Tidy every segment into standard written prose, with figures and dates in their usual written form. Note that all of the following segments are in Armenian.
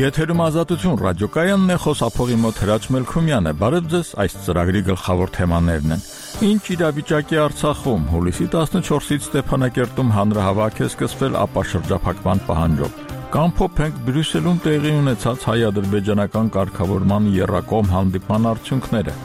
Եթերում Ազատություն ռադիոկայանն է, խոսափողի մոտ Հրաչ Մելքումյան է։ Բարև ձեզ, այս ծրագրի գլխավոր թեմաներն են. Ինչ իրավիճակի Արցախում, հուլիսի 14-ից Ստեփանակերտում հանրահավաք է սկսվել ապաշրջափակման պահանջով։ Կամ փոփենք Բրյուսելում տեղի ունեցած հայ-ադրբեջանական կարգավորման եռակողմ հանդիպման արդյունքները։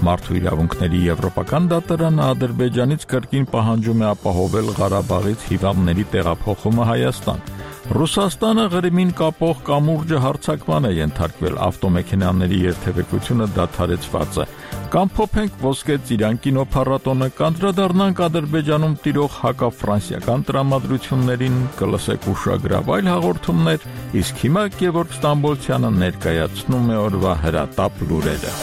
Մարդու իրավունքների եվրոպական դատարանը Ադրբեջանից կրկին պահանջում է ապահովել Ղարաբաղից հիվանդների տեղափոխումը Հայաստան։ Ռուսաստանը Ղրիմին կապող կամուրջը հարձակման է ենթարկվել, ավտոմեքենաների երթևեկությունը դադարեցված է։ Կամ փոփենք Ոսկե ծիրան կինոփառատոնը, կանդրադառնանք Ադրբեջանում տիրող հակաֆրանսիական տրամադրություններին, կլսեք ուշագրավ այլ հաղորդումներ, իսկ հիմա Գևորգ Ստամբոլցյանը ներկայացնում է օրվա հրատապ լուրերը։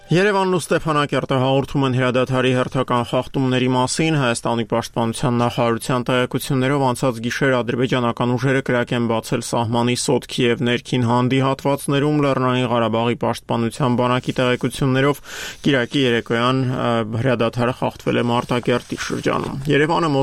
Երևանն ու Ստեփանակերտը հաղորդում են հրադադարի հերթական խախտումների մասին։ Հայաստանի պաշտպանության նախարարության տեղեկություններով անցած գիշեր ադրբեջանական ուժերը կրակ են բացել սահմանի Սոտքի եւ ներքին Հանդի հատվածներում։ Լեռնային Ղարաբաղի պաշտպանության բանակի տեղեկություններով կիրակի երեկոյան հրադադարը խախտվել է Մարտակերտի շրջանում։ Երևանը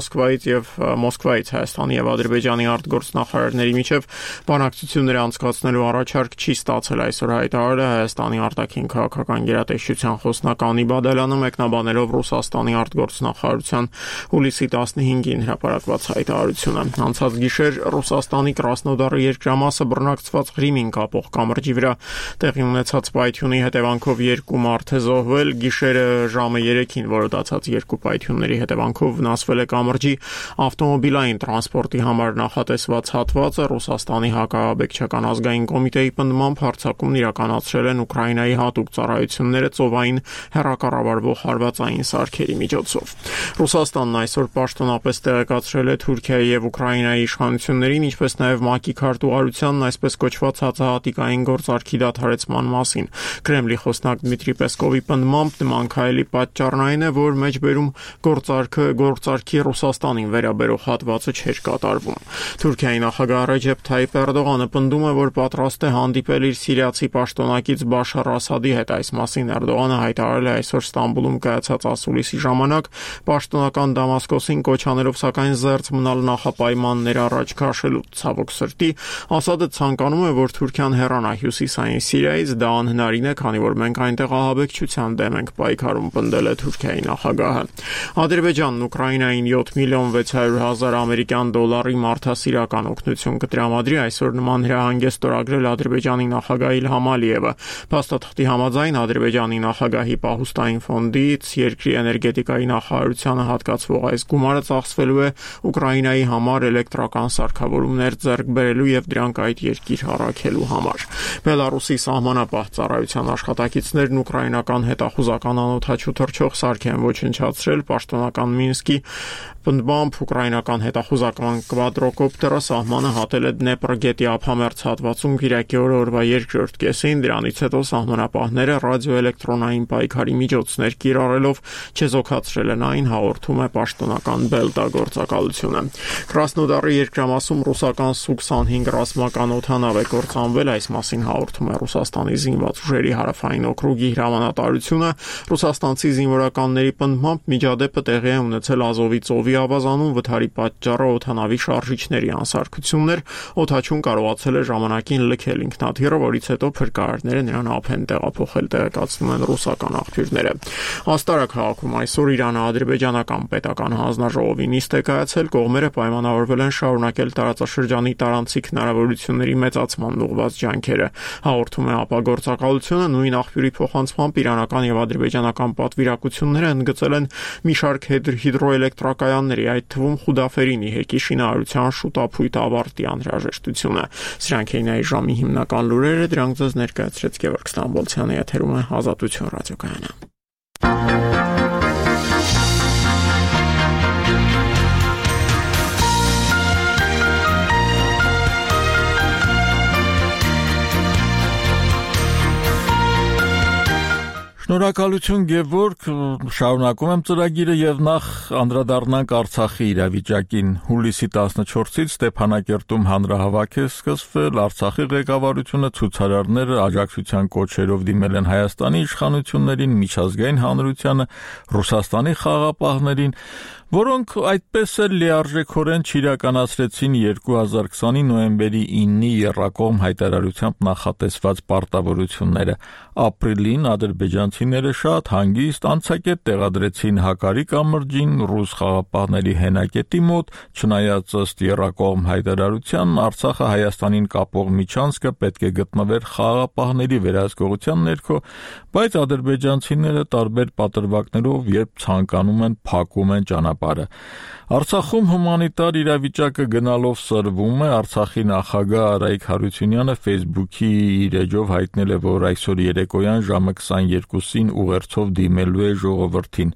Մոսկվայից Հայաստանի եւ Ադրբեջանի արտգործնախարարների միջև բանակցություններ անցկացնելու առաջարկ չի ստացել, այսօր հայտարարել է Հայաստանի արտաքին քաղաքական գերատեսչության խոսնակ Անի Բադալյանը, մեկնաբանելով Ռուսաստանի արտգործնախարարության հուլիսի 15-ին հրապարակված հայտարարությունը։ Անցած գիշեր Ռուսաստանի Կրասնոդարի երկրամասը բռնակցված Ղրիմին կապող կամրջի վրա տեղի ունեցած պայթյունի հետևանքով 2 մարդ է զոհվել։ Գիշերը ժամը 3-ին որոտացած 2 պայթյունների հետևանքով վնասվել է կամրջի ավտոմոբիլային տրանսպորտի համար նախատեսված հատվածը։ Ռուսաստանի հակաաբեկչական ազգային կոմիտեի պնդմամբ հարձակումն իրականացրել են Ուկրաինայի հատուկ ծառայությունները ծովային հեռակառավարվող հարվածային սարքերի միջոցով։ Ռուսաստանն այսօր պաշտոնապես տեղեկացրել է Թուրքիայի եւ Ուկրաինայի իշխանություններին, ինչպես նաեւ ՄԱԿ-ի քարտուղարությանն այսպես կոչված հացահատիկային գործարքի դադարեցման մասին։ Կրեմլի խոսնակ Դմիտրի Պեսկովի պնդմամբ նման քայլի պատճառն այն է, որ մեջբերում գործարքի Ռուսաստանին վերաբերող հատվածը չէր կատարվում։ Թուրքիայի նախագահ Ռեջեփ Թայիփ Էրդողանը պնդում է, որ պատրաստ է հանդիպել իր սիրիացի պաշտոնակից Բաշար Ասադի հետ։ Այս մասին Էրդողանը հայտարարել է այսօր Ստամբուլում կայացած ասուլիսի ժամանակ, պաշտոնական Դամասկոսին կոչ անելով սակայն զերծ մնալ նախապայմաններ առաջ քաշելու։ Ցավոք սրտի, Ասադը ցանկանում է, որ Թուրքիան հեռանա հյուսիսային Սիրիայից, դա անհնարին է, քանի որ մենք այնտեղ ահաբեկչության դեմ ենք պայքարում, պնդել է Թուրքիայի նախագահը։ Ադրբեջանն Ուկրաինային 7.6 միլիոն ամերիկյան դոլարի մարդասիրական օգնություն կտրամադրի, այսօր նման հրահանգ է ստորագրել Ադրբեջանի նախագահ Իլհամ Ալիևը։ Փաստաթղթի համաձայն Ադրբեջանի նախագահի պահուստային ֆոնդից երկրի էներգետիկայի նախարարությանը հատկացվող այս գումարը ծախսվելու է Ուկրաինայի համար էլեկտրական սարքավորումներ ձեռք բերելու եւ դրանք այդ երկիր առաքելու համար։ Բելարուսի սահմանապահ ծառայության աշխատակիցներն ուկրաինական հետախուզական անօդաչու թռչող սարք են ոչնչացրել։ Պաշտոնական Մինսկի պնդմամբ ուկրաինական հետախուզական կվադրոկոպտերը սահմանը հատել է Դնեպր գետի ափամերձ հատվածում կիրակի օրվա երկրորդ կեսին։ Դրանից հետո սահմանապահները ռադիոէլեկտրոնային պայքարի միջոցներ կիրառելով չեզոքացրել են այն, հաղորդում է պաշտոնական Բելտա գործակալությունը։ Կրասնոդարի երկրամասում ռուսական Սու-25 ռազմական օդանավ է կործանվել, այս մասին հաղորդում է Ռուսաստանի զինված ուժերի հարավային օկրուգի հրամանատարությունը։ Ռուսաստանցի զինվորականների պնդմամբ միջադեպը տեղի է ունեցել Ազովի ծովի ավազանում, վթարի պատճառը օդանավի շարժիչների անսարքություններ, օդաչուն կարողացել է ժամանակին լքել ինքնաթիռը, որից հետո փրկարարները նրան ափ են տեղափոխել, տեղեկացնում են ռուսական աղբյուրները։ Աստարա քաղաքում այսօր Իրано-ադրբեջանական պետական հանձնաժողովի նիստ է կայացել, կողմերը պայմանավորվել են շարունակել տարածաշրջանի տարանցիկ հնարավորությունների մեծացման ուղղված ջանքերը։ Հաղորդում է ապագործակալությունը, նույն աղբյուրի փոխանցմամբ իրանական եւ ադրբեջանական պատվիրակությունները ընդգծել են մի շարք հիդրոէլեկտրակայանների, այդ թվում Խուդաֆերինի հեկի շինարարության շուտապույտ ավարտի անհրաժեշտությունը։ Սրանք էին այս ժամի հիմնական լուրերը, դրանք ձեզ ներկայացրեց Գևորգ Ստամբոլցյանը, եթերում է Ազատություն ռադիոկայանը։ Շնորհակալություն Գևորգ, շարունակում եմ ծրագիրը եւ նախ անդրադառնանք Արցախի իրավիճակին։ Հուլիսի 14-ից Ստեփանակերտում հանրահավաք է սկսվել, Արցախի ղեկավարությունը ցուցարարները աջակցության կոչերով դիմել են Հայաստանի իշխանություններին, միջազգային հանրությանը, Ռուսաստանի խաղաղապահներին, որոնք այդպես էլ լիարժեքորեն չիրականացրեցին 2020-ի նոյեմբերի 9-ի եռակողմ հայտարարությամբ նախատեսված պարտավորությունները։ Ապրիլին ադրբեջանցիները շատ հանգիստ անցակետ տեղադրեցին Հակարի կամրջին ռուս խաղաղապահների հենակետի մոտ, չնայած ըստ եռակողմ հայտարարության Արցախը Հայաստանին կապող միջանցքը պետք է գտնվեր խաղաղապահների վերահսկողության ներքո, բայց ադրբեջանցիները տարբեր պատրվակներով, երբ ցանկանում են, փակում են ճանապարհը։ Արցախում հումանիտար իրավիճակը գնալով սրվում է, Արցախի նախագահ Արայիկ Հարությունյանը Facebook-ի իր էջով հայտնել է, որ այսօր երեկոյան ժամը 22-ին ուղերձով դիմելու է ժողովրդին։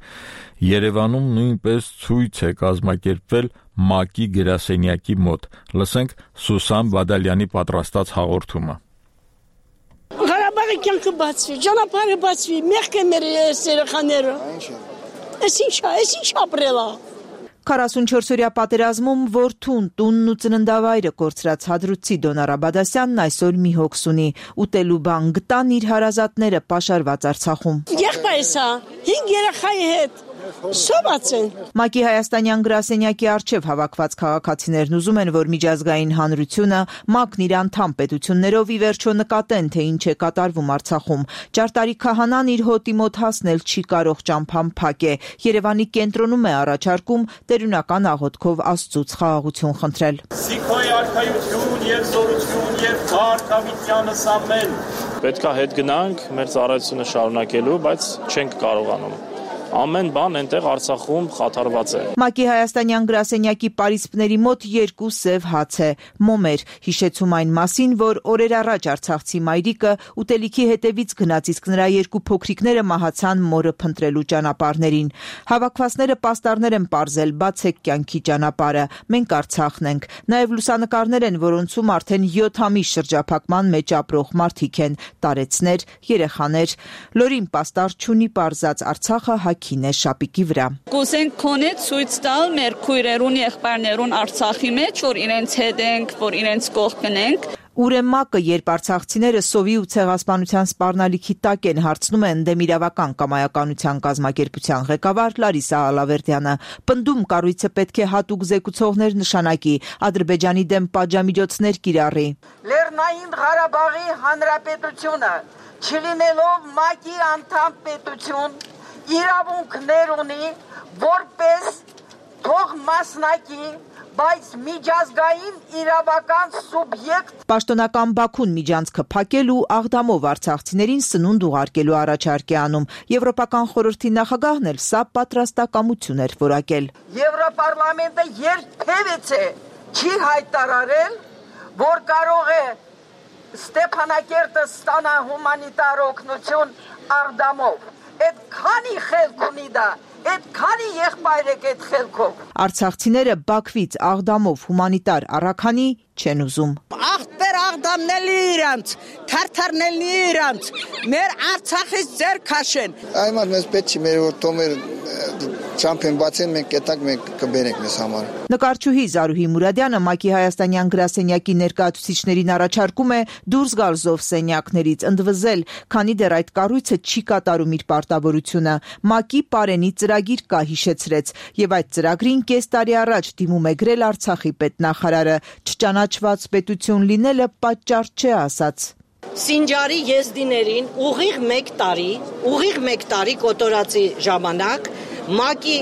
Երևանում նույնպես ցույց է կազմակերպվել ՄԱԿ-ի գրասենյակի մոտ։ Լսենք Սուսան Բադալյանի պատրաստած հաղորդումը։ Ղարաբաղի կյանքը բացվի, ճանապարհը բացվի, մեղք է մեր երեխաները։ Էս ինչ ապրել է։ 44-օրյա պատերազմում որդուն, տունն ու ծննդավայրը կորցրած հադրութի Դոնար Աբադասյանն այսօր մի հոգս ունի։ Ուտելու բան գտան իր հարազատները պաշարված Արցախում։ Եղբայրս է, 5 երեխայի հետ։ Սոված են։ ՄԱԿ-ի հայաստանյան գրասենյակի առջև հավաքված քաղաքացիներն ուզում են, որ միջազգային հանրությունը, ՄԱԿ-ն իր անդամ պետություններով ի վերջո նկատեն, թե ինչ է կատարվում Արցախում։ Ճարտարի քահանան իր հոտի մոտ հասնել չի կարող, ճամփան փակ է։ Երևանի կենտրոնում է առաջարկում տերունական աղոթքով Աստծուց խաղաղություն խնդրել։ Սիքոյ արքայություն եւ զորություն եւ քաղաքավիտյանս ամեն։ Պետք է հետ գնանք մեր ծառայությունը շարունակելու, բայց չենք կարողանում։ Ամեն բան այնտեղ Արցախում խաթարված է։ ՄԱԿ-ի հայաստանյան գրասենյակի պարիսպների մոտ 2 սև հաց է, մոմեր, հիշեցում այն մասին, որ օրեր առաջ արցախցի մայրիկը ուտելիքի հետևից գնաց, իսկ նրա 2 փոքրիկները մահացան մորը փնտրելու ճանապարհներին։ Հավաքվածները պաստառներ են պարզել, բացեք կյանքի ճանապարհը, մենք Արցախն ենք։ Նաև լուսանկարներ են, որոնցում արդեն 7 ամիս շրջափակման մեջ ապրող մարդիկ են, տարեցներ, երեխաներ։ Լորին պաստառ չունի պարզած Արցախը հագին է շապիկի վրա։ Կուզենք քոնե ցույց տալ մեր քույրերուն եղբայրներուն Արցախի մեջ, որ իրենց հետ ենք, որ իրենց կողքն ենք։ Ուր է ՄԱԿ-ը, երբ արցախցիները սովի ու ցեղասպանության սպառնալիքի տակ են, հարցնում են Դեմիրավական կամայականության կազմակերպության ղեկավար Լարիսա Ալավերդյանը։ Պնդում կառույցը պետք է հատուկ զեկուցողներ նշանակի, Ադրբեջանի դեմ պատժամիջոցներ կիրառի։ Լեռնային Ղարաբաղի Հանրապետությունը, չլինելով ՄԱԿ-ի անդամ պետություն, իրավունքներ ունի, որպես թող մասնակի, բայց միջազգային իրավական սուբյեկտ։ Պաշտոնական Բաքուն միջանցքը փակել ու աղդամով արցախցիներին սնունդ ուղարկելու առաջարկ է անում։ Եվրոպական խորհրդի նախագահն էլ սա պատրաստակամություն էր որակել։ Եվրոպարլամենտը երբևէ չի հայտարարել, որ կարող է Ստեփանակերտը ստանա հումանիտար օգնություն աղդամով։ Այդ քանի խելք ունի դա, այդ քանի եղբայր եք այդ խելքով։ Արցախցիները Բաքվից աղդամով հումանիտար առաքանի չեն ուզում։ Աղբեր աղդամնելի իրանց, թարթարնելի իրանց, մեր Արցախից ձեր քաշեն։ Այմար մեզ պետք չի մեր որ թոմեր ճամփեն բացեն, մենք կետակ մենք կբերենք մեզ համար։ Նկարչուհի Զարուհի Մուրադյանը ՄԱԿ-ի հայաստանյան գրասենյակի ներկայացուցիչներին առաջարկում է դուրս գալ զովսենյակներից, ընդվզել, քանի դեռ այդ կառույցը չի կատարում իր պարտավորությունը։ ՄԱԿ-ի Պարենի ծրագիր կա, հիշեցրեց, եւ այդ ծրագրին կես տարի առաջ դիմում է գրել Արցախի պետնախարարը։ Չճանաչված պետություն լինելը պատճառ չէ, ասաց։ Սինջարի եզդիներին ուղիղ մեկ տարի կոտորածի ժամանակ ՄԱԿ-ի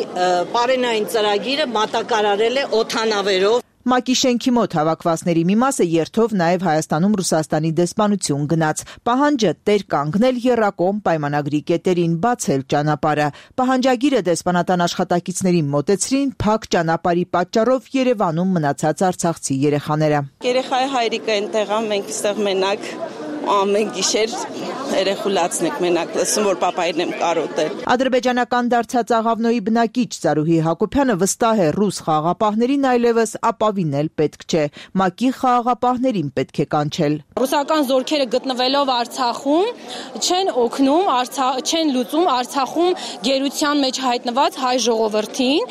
Պարենային ծրագիրը մատակարարել է օդանավերով։ ՄԱԿ-ի շենքի մոտ հավաքվածների մի մասը երթով նաև Հայաստանում Ռուսաստանի դեսպանություն գնաց։ Պահանջը տեր կանգնել եռակողմ պայմանագրի կետերին, բացել ճանապարհը։ Պահանջագիրը դեսպանատան աշխատակիցներին մոտեցրին, փակ ճանապարհի պատճառով Երևանում մնացած արցախցի երեխաները։ Երեխայի հայրիկը այնտեղ է, մենք այստեղ մենակ ամեն գիշեր երեխուլացնեք մենակ լսում, որ պապային եմ կարոտել։ Ադրբեջանական դարձած Աղավնոյի բնակիչ Զարուհի Հակոբյանը վստահ է ռուս խաղաղապահներին այլևս ապավինել պետք չէ, ՄԱԿ-ի խաղաղապահներին պետք է կանչել։ Ռուսական զորքերը գտնվելով Արցախում չեն օգնում, չեն լուծում Արցախում գերության մեջ հայտնված հայ ժողովրդին,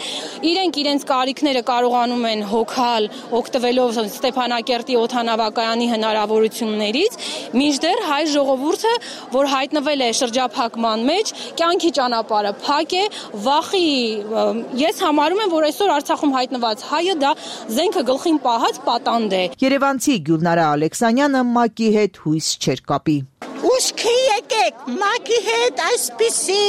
իրենք իրենց կարիքները կարողանում են հոգալ, օգտվելով Ստեփանակերտի օդանավակայանի հնարավորություններից, մինչդեռ հայ ժողովուրդը, որ հայտնվել է շրջափակման մեջ, կյանքի ճանապարհը փակ է, վախի, ես համարում եմ, որ այսօր Արցախում հայտնված հայը դա զենքը գլխին պահած պատանդ է։ Երևանցի Գյուլնարա Ալեքսանյանը ՄԱԿ-ի հետ հույս չէր կապի։ Ուշքի եկեք, ՄԱԿ-ի հետ այսպիսի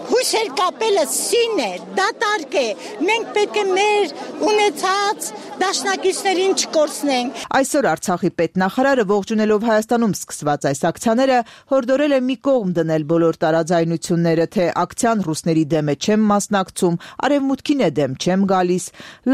հույսեր կապելը սին է, դատարկ է, մենք պետք է մեր ունեցած դաշնակիցներին չկորցնենք։ Այսօր Արցախի պետնախարարը ողջունելով Հայաստանում սկսված այս ակցիաները հորդորել է մի կողմ դնել բոլոր տարաձայնությունները, թե ակցիան ռուսների դեմ է չեմ մասնակցում, արևմուտքին է դեմ չեմ գալիս,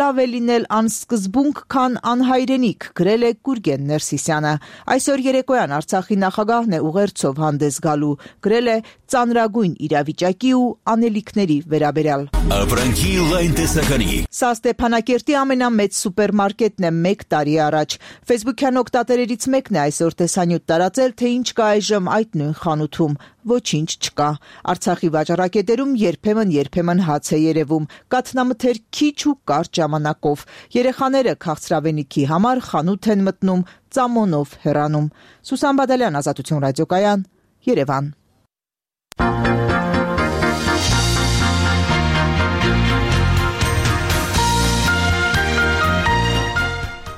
լավ է լինել անսկզբունք, քան անհայրենիք, գրել է Գուրգեն Ներսիսյանը։ Այսօր երեկոյան Արցախի նախագահն է ուղերձով հանդես գալու, գրել է ծանրագույն իրավիճակի ու անելիքների վերաբերյալ։ Ապրանքի լայն տեսականի։ Սա Ստեփանակերտի ամենամեծ սուպերմարկետն է 1 տարի առաջ։ Facebook-յան օգտատերերից մեկն է այսօր տեսանյութ տարածել, թե ինչ կա այժմ այդ նույն խանութում։ Ոչինչ չկա։ Արցախի վաճառակետերում երբեմն հաց է երևում, կաթնամթեր քիչ ու կարճ ժամանակով։ Երեխաները քաղցրավենիքի համար խանութ են մտնում, ծամոնով հեռանում։ Սուսան Բադալյան, Ազատություն ռադիոկայան, Երևան։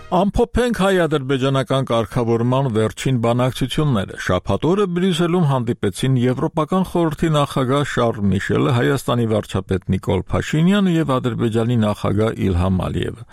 Ամփոփենք հայ-ադրբեջանական կարգավորման վերջին բանակցությունները։ Շաբաթ օրը Բրյուսելում հանդիպեցին Եվրոպական խորհրդի նախագահ Շարլ Միշելը, Հայաստանի վարչապետ Նիկոլ Փաշինյանը եւ Ադրբեջանի նախագահ Իլհամ Ալիևը։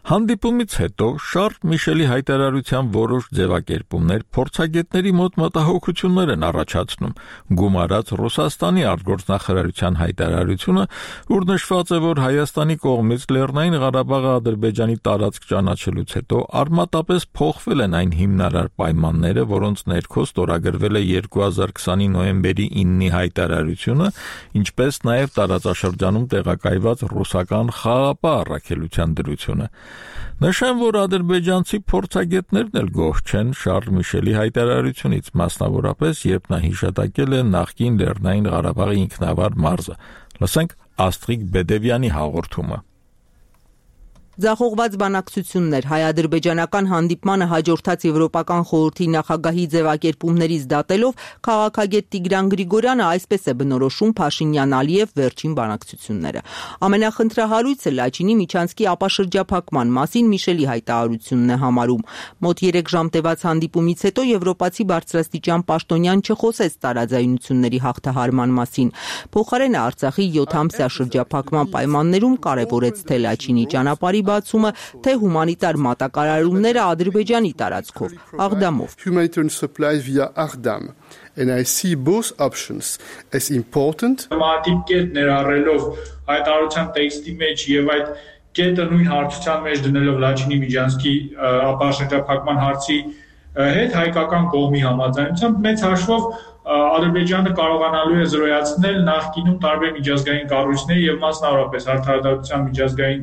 Հանդիպումից հետո Շարլ Միշելի հայտարարության որոշ ձևակերպումներ փորձագետների մոտ մտահոգություններ են առաջացնում, գումարած Ռուսաստանի արտգործնախարարության հայտարարությունը, ուր նշված է, որ Հայաստանի կողմից Լեռնային Ղարաբաղը Ադրբեջանի տարածք ճանաչելուց հետո արմատապես փոխվել են այն հիմնարար պայմանները, որոնց ներքո ստորագրվել է 2020-ի նոյեմբերի 9-ի հայտարարությունը, ինչպես նաև տարածաշրջանում տեղակայված ռուսական խաղապահ առաքելության դրությունը։ Նշեմ, որ ադրբեջանցի փորձագետներն էլ գոհ չեն Շարլ Միշելի հայտարարությունից, մասնավորապես, երբ նա հիշատակել է նախկին Լեռնային Ղարաբաղի ինքնավար մարզը։ Լսենք Աստրիկ Բեդևյանի հաղորդումը։ Ձախողված բանակցություններ հայ-ադրբեջանական հանդիպմանը հաջորդած Եվրոպական խորհրդի նախագահի ձևակերպումներից դատելով քաղաքագետ Տիգրան Գրիգորյանը այսպես է բնորոշում Փաշինյան-Ալիև վերջին բանակցությունները։ Ամենախնդրահարույցը Լաչինի միջանցքի ապաշրջափակման մասին Միշելի հայտարարությունն է համարում։ Մոտ 3 ժամ տևած հանդիպումից հետո եվրոպացի բարձրաստիճան պաշտոնյան չխոսեց տարաձայնությունների հաղթահարման մասին։ Փոխարենը Արցախի 7-ամսյա շրջափակման պայմաններում կարևորեց թե Լաչինի ճանապարհի բացումը, թե հումանիտար մատակարարումները Ադրբեջանի տարածքով, Աղդամով։ Humanitarian supplies via Աղդամ. And I see both options as important. Մատիկ կետ ներառելով հայտարարության տեքստի մեջ եւ այդ կետը նույն հարցության մեջ դնելով Լաչինի միջանցքի ապաշրջափակման հարցի հետ հայկական կողմի համաձայնությամբ մեծ հաշվով Ադրբեջանը կարողանալու է զրոյացնել նախկինում տարբեր միջազգային կառույցների եւ մասնավորապես Արդարադատության միջազգային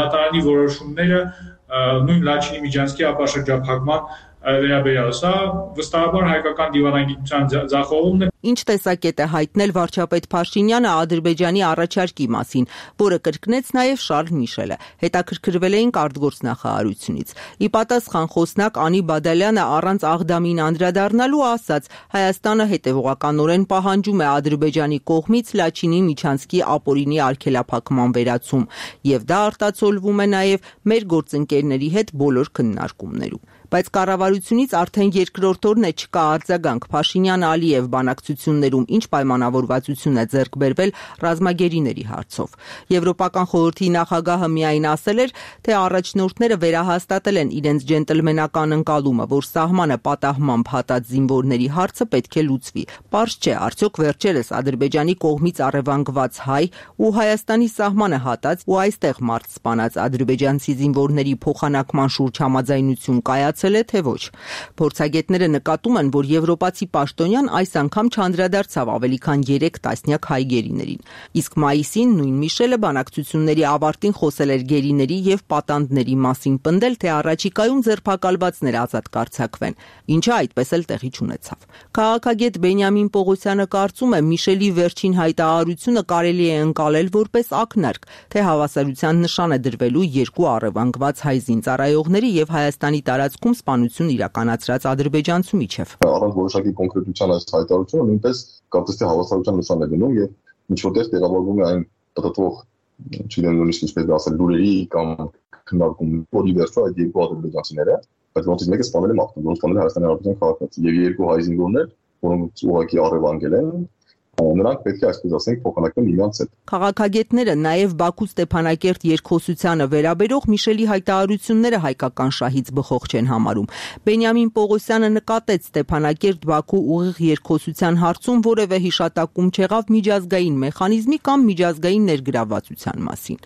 դատարանի որոշումները նույն Լաչինի միջանցքի ապաշրջափակման վերաբերյալ։ Սա վստահաբար հայկական դիվանագիտության ձախողումն է։ Ինչ տեսակետ է հայտնել վարչապետ Փաշինյանը Ադրբեջանի առաջարկի մասին, որը կրկնեց նաև Շարլ Միշելը։ Հետաքրքրվել էինք արտգործնախարարությունից։ Ի պատասխան խոսնակ Անի Բադալյանը առանց Աղդամին անդրադառնալու ասաց. Հայաստանը հետևողականորեն պահանջում է Ադրբեջանի կողմից Լաչինի միջանցքի ապօրինի արգելափակման վերացում, եւ դա արտացոլվում է նաև մեր գործընկերների հետ բոլոր քննարկումներում։ Բայց կառավարությունից արդեն երկրորդ օրն է չկա արձագանք Փաշինյան-Ալիև բանակցություններում, ինչ պայմանավորվածություն է ձեռք բերվել ռազմագերիների հարցով։ Եվրոպական խորհրդի նախագահը միայն ասել էր, թե առաջնորդները վերահաստատել են իրենց ջենտլմենական ընկալումը, որ սահմանը պատահմամբ հատած զինվորների հարցը պետք է լուծվի։ Պարզ չէ, արդյոք վերջերս Ադրբեջանի կողմից առևանգված հայ ու Հայաստանի սահմանը հատած ու այստեղ մարդ սպանած ադրբեջանցի զինվորների փոխանակման շուրջ համաձայնություն կայացավ, հեռացել է, թե ոչ։ Փորձագետները նկատում են, որ եվրոպացի պաշտոնյան այս անգամ չանդրադարձավ ավելի քան 3 տասնյակ հայ գերիներին։ Իսկ մայիսին նույն Միշելը բանակցությունների ավարտին խոսել էր գերիների եւ պատանդների մասին, պնդել, թե առաջիկայում ձերբակալվածներ ազատ կարձակվեն, ինչը այդպես էլ տեղի չունեցավ։ Քաղաքագետ Բենյամին Պողոսյանը կարծում է, Միշելի վերջին հայտարարությունը կարելի է ընկալել որպես ակնարկ, թե հավասարության նշան է դրվելու երկու առևանգված հայ զինծառայողների եւ Հայաստանի տարածքում սպանություն իրականացրած ադրբեջանցու միջև։ Առանց որոշակի կոնկրետության այս հայտարարությունը նույնպես կարծես թե հավասարության նշան է դնում եւ ինչ որտեղ տեղավորվում է այն տտտվող, չգիտեմ նույնիսկ ինչպես ասել, լուրերի կամ քննարկումների, որի վերջո այդ երկու ադրբեջանցիները, բայց ոնց մեկը սպանել է մարտում, ոնց սպանել է Հայաստանի Հանրապետության քաղաքացի եւ երկու հայ զինվորներ, որոնք ուղղակի առևանգել են, նրանք պետք է այսպես ասենք փոխանակեն իրենց հետ։ Քաղաքագետները նաև Բաքու-Ստեփանակերտ երկխոսությանը վերաբերող Միշելի հայտարարությունները հայկական շահից բխող չեն համարում։ Բենյամին Պողոսյանը նկատեց Ստեփանակերտ-Բաքու ուղիղ երկխոսության հարցում որևէ հիշատակում չեղավ միջազգային մեխանիզմի կամ միջազգային ներգրավվածության մասին։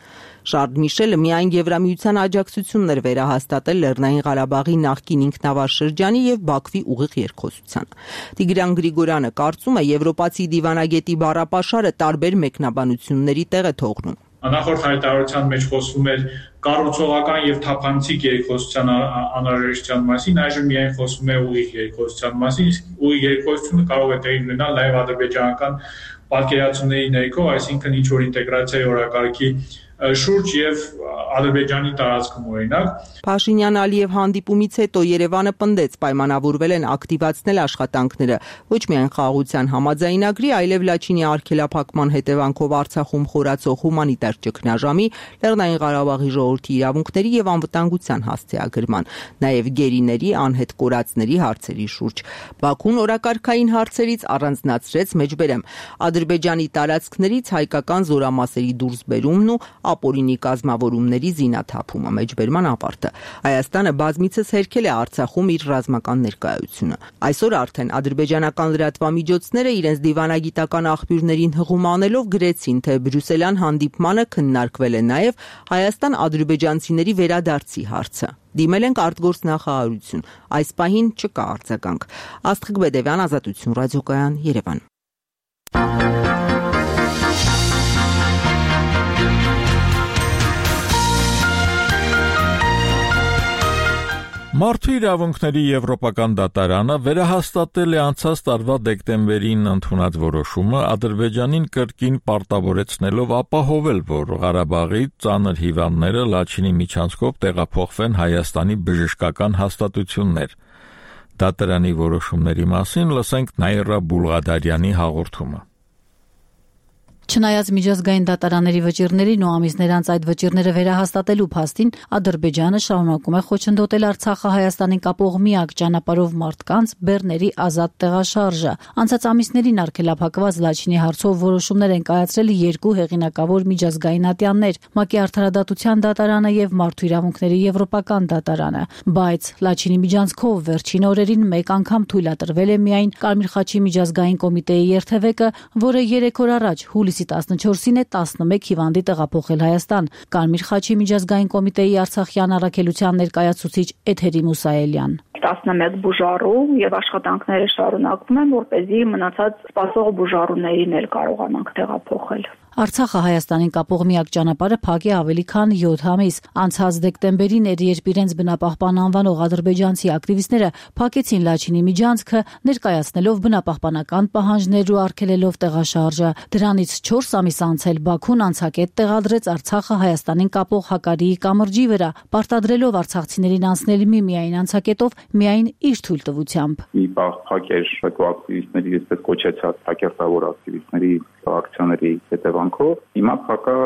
Շարլ Միշելը միայն Եվրամիության աջակցությունն էր վերահաստատել Լեռնային Ղարաբաղի նախկին ինքնավար շրջանի եւ Բաքվի ուղիղ երկխոսությանը։ Տիգրան Գրիգորյանը կարծում է, եվրոպացի դիվանագետի բառապաշարը տարբեր մեկնաբանությունների տեղ է թողնում։ Նախորդ հայտարարության մեջ խոսվում էր կառուցողական եւ թափանցիկ երկխոսության անհրաժեշտության մասին, այժմ միայն խոսվում է ուղիղ երկխոսության մասին, իսկ ուղիղ երկխոսությունը կարող է տեղի ունենալ նաեւ ադրբեջանական պատկերացումների ներքո, այսինքն ինչ որ ինտեգրացիայի օրակարգի շուրջ եւ Ադրբեջանի տարածքում օրինակ։ Փաշինյան-Ալիև հանդիպումից հետո Երևանը պնդեց պայմանավորվել են ակտիվացնել աշխատանքները ոչ միայն խաղաղության համաձայնագրի, այլև Լաչինի արգելափակման հետևանքով Արցախում խորացող հումանիտար ճգնաժամի, Լեռնային Ղարաբաղի ժողովրդի իրավունքների եւ անվտանգության հասցեագրման, նաեւ գերիների անհետ կորածների հարցերի շուրջ։ Բաքուն օրակարգային հարցերից առանձնացրեց մեջբերեմ Ադրբեջանի տարածքներից հայկական զորամասերի դուրսբերումն ու ապօրինի կազմավորումների զինաթափումը, մեջբերման ավարտը։ Հայաստանը բազմիցս հերքել է Արցախում իր ռազմական ներկայությունը։ Այսօր արդեն ադրբեջանական լրատվամիջոցները իրենց դիվանագիտական աղբյուրներին հղում անելով գրեցին, թե բրյուսելյան հանդիպմանը քննարկվել է նաև Հայաստան-ադրբեջանցիների վերադարձի հարցը։ Դիմել ենք արտգործնախարարություն։ Այս պահին չկա արձագանք։ Աստղիկ Բեդևյան, Ազատություն ռադիոկայան, Երևան։ Մարդու իրավունքների եվրոպական դատարանը վերահաստատել է անցած տարվա դեկտեմբերին ընդունած որոշումը Ադրբեջանին կրկին պարտավորեցնելով ապահովել, որ Ղարաբաղի ծանր հիվանդները Լաչինի միջանցքով տեղափոխվեն Հայաստանի բժշկական հաստատություններ։ Դատարանի որոշումների մասին լսենք Նաիրա Բուլղադարյանի հաղորդումը։ Չնայած միջազգային դատարանների վճիռներին ու ամիսներ անց այդ վճիռները վերահաստատելու փաստին, Ադրբեջանը շարունակում է խոչընդոտել Արցախը Հայաստանին կապող միակ ճանապարհով մարդկանց բեռների ազատ տեղաշարժը։ Անցած ամիսներին արգելափակված Լաչինի հարցով որոշումներ են կայացրել երկու հեղինակավոր միջազգային ատյաններ՝ ՄԱԿ-ի Արդարադատության դատարանը եւ Մարդու իրավունքների եվրոպական դատարանը։ Բայց Լաչինի միջանցքով վերջին օրերին մեկ անգամ թույլատրվել է միայն Կարմիր խաչի միջազգային կոմիտեի երթևեկը, որը 3 օր առաջ հուլիսի 14-ին է 11 հիվանդի տեղափոխել Հայաստան։ Կարմիր խաչի միջազգային կոմիտեի Արցախյան առաքելության ներկայացուցիչ Էթերի Մուսայելյան։ 11 բուժառու եւ աշխատանքները շարունակվում են, որպեսզի մնացած սպասող բուժառուներին էլ կարողանանք տեղափոխել։ Արցախը Հայաստանին կապող միակ ճանապարհը փակ է ավելի քան 7 ամիս։ Անցած դեկտեմբերին երբ իրենց բնապահպան անվանող ադրբեջանցի ակտիվիստները փակեցին Լաչինի միջանցքը, ներկայացնելով բնապահպանական պահանջներ ու արգելելով տեղաշարժը։ Դրանից 4 ամիս անց էլ Բաքուն անցակետ տեղադրեց Արցախը Հայաստանին կապող Հակարիի կամրջի վրա, պարտադրելով արցախցիներին անցնել միմիայն անցակետով միայն իր թույլտվությամբ։ Մի բաղ փակեր ակտիվիստների, այսպես կոչեցած հակերտավոր ակտիվիստների ակցիաների հետևանքով հիմա փակա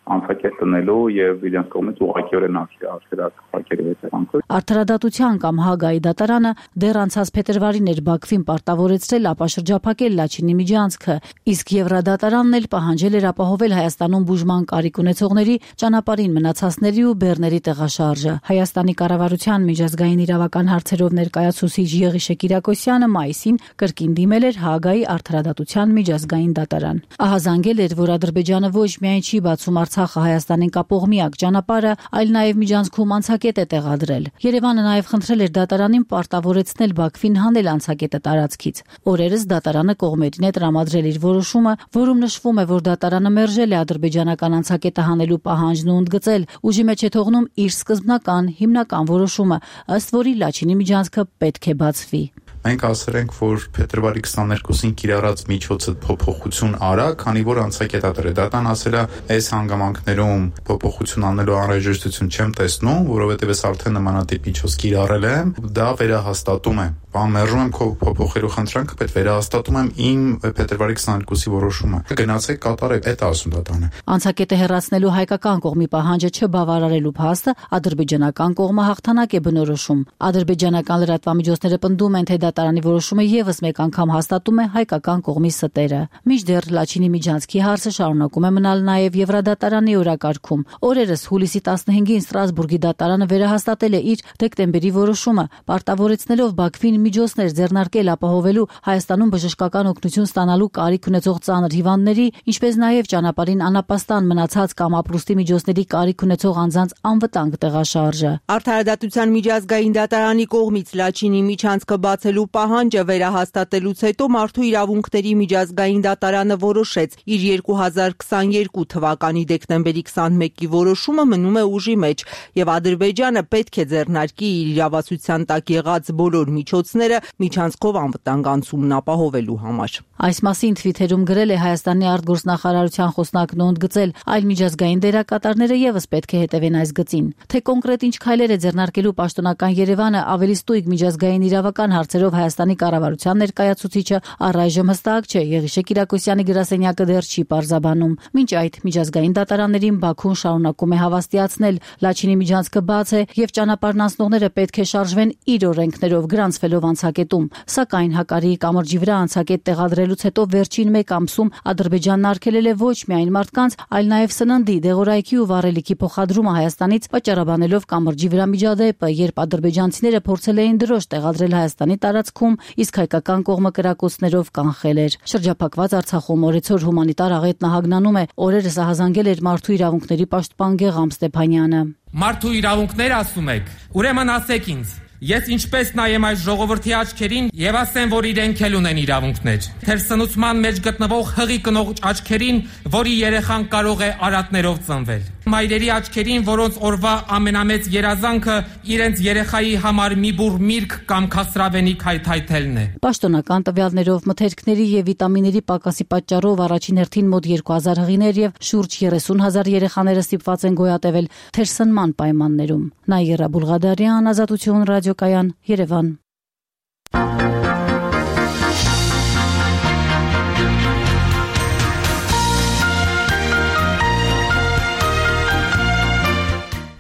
անցակետ տնելու եւ իրենց կողմից ուղղակիորեն արգելած փակերի հետևանքով։ Արդարադատության կամ Հագայի դատարանը դեռ անցած փետրվարին էր Բաքվին պարտավորեցրել ապաշրջափակել Լաչինի միջանցքը, իսկ Եվրադատարանն էլ պահանջել էր ապահովել Հայաստանում բուժման կարիք ունեցողների ճանապարհին մնացածների ու բեռների տեղաշարժը։ Հայաստանի կառավարության միջազգային իրավական հարցերով ներկայացուցիչ Եղիշե Կիրակոսյանը մայիսին կրկին դիմել էր Հագայի արդարադատության միջազգային դատարան։ Ահազանգել էր, որ Ադրբեջանը ոչ միայն չի բացում Արցախը Հայաստանին կապող միակ ճանապարհը, այլ նաև միջանցքում անցակետ է տեղադրել։ Երևանը նաև խնդրել էր դատարանին պարտավորեցնել Բաքվին հանել անցակետը տարածքից։ Օրերս դատարանը կողմերին է տրամադրել իր որոշումը, որում նշվում է, որ դատարանը մերժել է ադրբեջանական անցակետը հանելու պահանջն ու ընդգծել, ուժի մեջ է թողնում իր սկզբնական հիմնական որոշումը, ըստ որի Լաչինի միջանցքը պետք է բացվի։ Մենք ասել ենք, որ փետրվարի 22-ին կիրառած միջոցը փոփոխություն արա, քանի որ անցակետատերը դատան ասել է, այս հանգամանքներում փոփոխություն անելու անհրաժեշտություն չեմ տեսնում, որովհետև ես արդեն նմանատիպ միջոց կիրառել եմ, դա վերահաստատում է։ Մերժում եմ քո փոփոխելու խնդրանքը, բայց վերահաստատում եմ իմ փետրվարի 22-ի որոշումը։ Գնացեք կատարեք, այդ ասում դատանը։ Անցակետը հեռացնելու հայկական կողմի պահանջը չբավարարելու փաստը ադրբեջանական կողմը հաղթանակ է բնորոշում։ Ադրբեջանական լրատվամիջոցները պնդում են, թե դատարանի որոշումը եւս մեկ անգամ հաստատում է հայկական կողմի ստերը։ Մինչդեռ Լաչինի միջանցքի հարցը շարունակում է մնալ նաև Եվրադատարանի օրակարգում։ Օրերս հուլիսի 15-ին Ստրասբուրգի դատարանը վերահաստատել է իր դեկտեմբերի որոշումը, պարտավորեցնելով Բաքվին միջոցներ ձեռնարկել ապահովելու Հայաստանում բժշկական օգնություն ստանալու կարիք ունեցող ծանր հիվանդների, ինչպես նաև ճանապարհին անապաստան մնացած կամ ապրուստի միջոցների կարիք ունեցող անձանց անվտանգ տեղաշարժը։ Արդարադատության միջազգային դատարանի կողմից Լաչինի միջանցքը բացելու պահանջը վերահաստատելուց հետո Մարդու իրավունքների միջազգային դատարանը որոշեց, իր 2022 թվականի դեկտեմբերի 21-ի որոշումը մնում է ուժի մեջ եւ Ադրբեջանը պետք է ձեռնարկի իր իրավասության տակ եղած բոլոր միջոցները միջանցքով անվտանգ անցումն ապահովելու համար։ Այս մասին Twitter-ում գրել է Հայաստանի արտգործնախարարության խոսնակն ու ընդգծել, այլ միջազգային դերակատարները եւս պետք է հետևեն այս գծին։ Թե կոնկրետ ինչ քայլեր է ձեռնարկելու պաշտոնական Երևանը ավելի ստույգ միջազգային իրավական հարցերով Հայաստանի կառավարության ներկայացուցիչը առայժմ հստակ չէ, Եղիշե Կիրակոսյանի գրասենյակը դեռ չի պարզաբանում։ Մինչ այդ միջազգային դատարաններին Բաքուն շարունակում է հավաստիացնել, Լաչինի միջանցքը բաց է եւ ճանապարհն անցնողները պետք է շարժվեն իր օրենքներով գրանցվելով անցակետում։ Սակայն Հակարիի կամրջի վրա անցակետ տեղադրելուց հետո վերջին մեկ ամսում Ադրբեջանն արգելել է ոչ միայն մարդկանց, այլ նաև սննդի, դեղորայքի ու վառելիքի փոխադրումը Հայաստանից, վճարաբանելով կամրջի վրա միջադեպը, երբ ադրբեջանցիները փորձել էին դրոշ տեղադրել Հայաստանի տարածքում, իսկ հայկական կողմը կրակոցներով կանխել էր։ Շրջափակված Արցախում օրեցօր հումանիտար աղետն ահագնանում է, օրերս ահազանգել էր Մարդու իրավունքների պաշտպան Գեգամ Ստեփանյանը։ Մարդու իրավունքներ ասում եք, ուրեմն ասեք ինձ, ես ինչպես նայեմ այս ժողովրդի աչքերին եւ ասեմ, որ իրենք էլ ունեն իրավունքներ։ Թեր սնուցման մեջ գտնվող հղի կնող աչքերին, որի երեխան կարող է արատներով ծնվել։ Մայրերի աչքերին, որոնց օրվա ամենամեծ երազանքը իրենց երեխայի համար մի բուռ միրգ կամ քասրավենիք հայթայթելն է։ Պաշտոնական տվյալներով մթերքների եւ վիտամինների պակասի պատճառով առաջին հերթին մոտ 2000 հղիներ եւ շուրջ 30,000 երեխաները ստիպված են գոյատևել թերսնման պայմաններում։ Նաիրա Բուլղադարյան, Ազատություն ռադիոկայան, Երևան։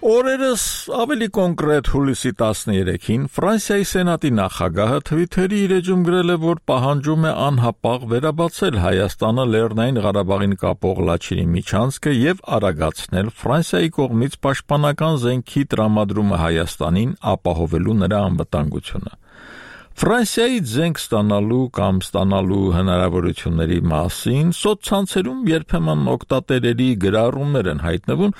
Օրերս ավելի կոնկրետ հուլիսի 13-ին Ֆրանսիայի Սենատի նախագահը Twitter-ի իր էջում գրել է, որ պահանջում է անհապաղ վերաբացել Հայաստանը Լեռնային Ղարաբաղին կապող Լաչինի միջանցքը եւ արագացնել Ֆրանսիայի կողմից պաշտպանական զենքի տրամադրումը Հայաստանին, ապահովելու նրա անվտանգությունը։ Ֆրանսիայից զենք ստանալու կամ ստանալու հնարավորությունների մասին սոցցանցերում երբեմն օգտատերերի գրառումներ են հայտնվում,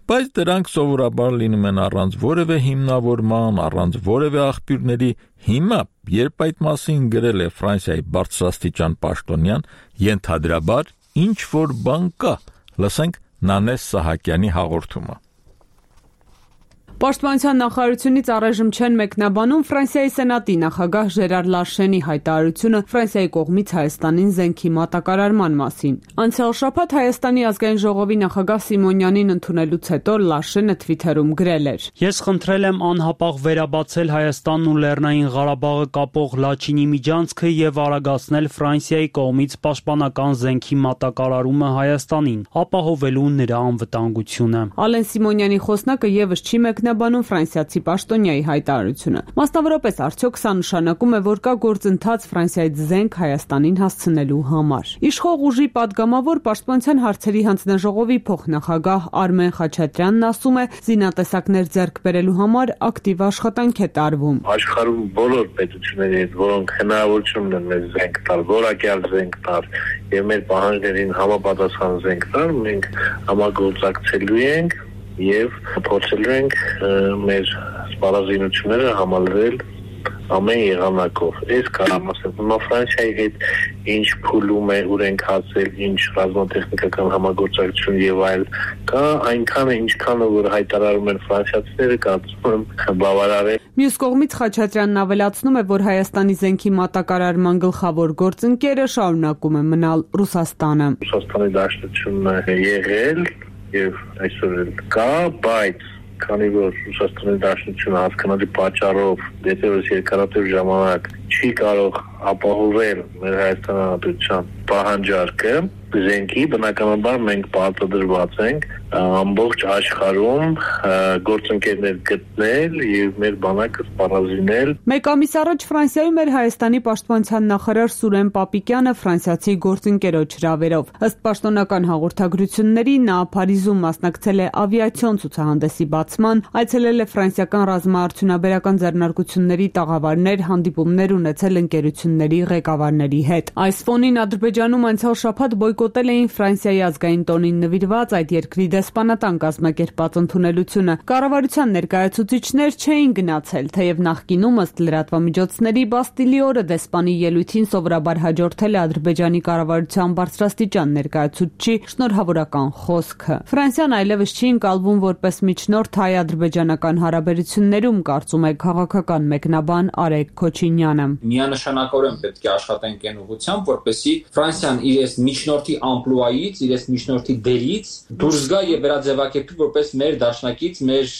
բայց դրանք սովորաբար լինում են առանց որևէ հիմնավորման, առանց որևէ աղբյուրների։ Հիմա, երբ այդ մասին գրել է Ֆրանսիայի բարձրաստիճան պաշտոնյան, ենթադրաբար ինչ որ բան կա։ Լսենք Նանես Սահակյանի հաղորդումը։ Պաշտպանության նախարարությունից առայժմ չեն մեկնաբանում Ֆրանսիայի Սենատի նախագահ Ժերար Լարշենի հայտարարությունը Ֆրանսիայի կողմից Հայաստանին զենքի մատակարարման մասին։ Անցյալ շաբաթ Հայաստանի ազգային ժողովի նախագահ Սիմոնյանին ընդունելուց հետո Լարշենը Twitter-ում գրել էր. Ես խնդրել եմ անհապաղ վերաբացել Հայաստանն ու Լեռնային Ղարաբաղը կապող Լաչինի միջանցքը եւ արագացնել Ֆրանսիայի կողմից պաշտպանական զենքի մատակարարումը Հայաստանին, ապահովելու նրա անվտանգությունը։ Ալեն Սիմոնյանի խոսնակը եւս չի մեկնաբանում մեկնաբանում ֆրանսիացի պաշտոնյայի հայտարարությունը։ Մասնավորապես, արդյոք սա նշանակում է, որ կա գործընթաց Ֆրանսիայից զենք Հայաստանին հասցնելու համար։ Իշխող ուժի падգամավոր Պաշտպանության հարցերի հանձնաժողովի փոխնախագահ Արմեն Խաչատրյանն ասում է, զինատեսակներ ձեռք բերելու համար ակտիվ աշխատանք է տարվում։ Աշխարհում բոլոր պետությունների հետ, որոնք հնարավորություն ունեն մեզ զենք տալ, որակյալ զենք տալ եւ մեր պահանջներին համապատասխան զենք տալ, մենք համագործակցելու ենք եւ փորձելու ենք մեր սպառազինությունները համալրել ամեն եղանակով։ Այս կարամ ասել, հիմա Ֆրանսիայի հետ ինչ փուլում է, ուր ենք հասել, ինչ ռազմատեխնիկական համագործակցություն եւ այլ, կա այնքանը ինչքանը որ հայտարարում են ֆրանսիացիները, կարծում եմ բավարար է։ Մյուս կողմից Խաչատրյանն ավելացնում է, որ Հայաստանի զենքի մատակարարման գլխավոր գործընկերը շարունակում է մնալ Ռուսաստանը։ Ռուսաստանի դաշնությունն է եղել եւ այսօր էլ կա, բայց քանի որ Ռուսաստանի դաշնությունը հասկանալի պատճառով դեպի երկարատև ժամանակ չի կարող ապահովել մեր Հայաստանի Հանրապետության պահանջարկը, զենքի բնականաբար մենք պարտադրված ենք ամբողջ աշխարհում գործընկերներ գտնել եւ մեր բանակը սպառազինել։ Մեկ ամիս առաջ Ֆրանսիայում էր Հայաստանի պաշտպանության նախարար Սուրեն Պապիկյանը ֆրանսիացի գործընկերոջ հրավերով։ Ըստ պաշտոնական հաղորդագրությունների նա Փարիզում մասնակցել է ավիացիոն ցուցահանդեսի բացման, այցելել է ֆրանսիական ռազմաարդյունաբերական ձեռնարկությունների տաղավարներ, հանդիպումներ ունեցել ընկերությունների ղեկավարների հետ։ Այս ֆոնին Ադրբեջանում անցյալ շաբաթ բոյկոտել էին Ֆրանսիայի ազգային տոնին նվիրված այդ երկրի դեսպանատան կազմակերպած ընդունելությունը։ Կառավարության ներկայացուցիչներ չէին գնացել, թեև նախկինում ըստ լրատվամիջոցների Բաստիլի օրը դեսպանի ելույթին սովորաբար հաջորդել է Ադրբեջանի կառավարության բարձրաստիճան ներկայացուցչի շնորհավորական խոսքը։ Ֆրանսիան այլևս չի ընկալվում որպես միջնորդ հայ-ադրբեջանական հարաբերություններում, կարծում է քաղաքական մեկնաբան Արեգ Քոչինյանը։ Միանշանակորեն պետք է աշխատենք այն ուղղությամբ, որպեսզի Ֆրանսիան իր միջնորդի ամպլուայից, իր միջնորդի դերից դուրս գա եւ վերաձևակերպի որպես մեր դաշնակից, մեր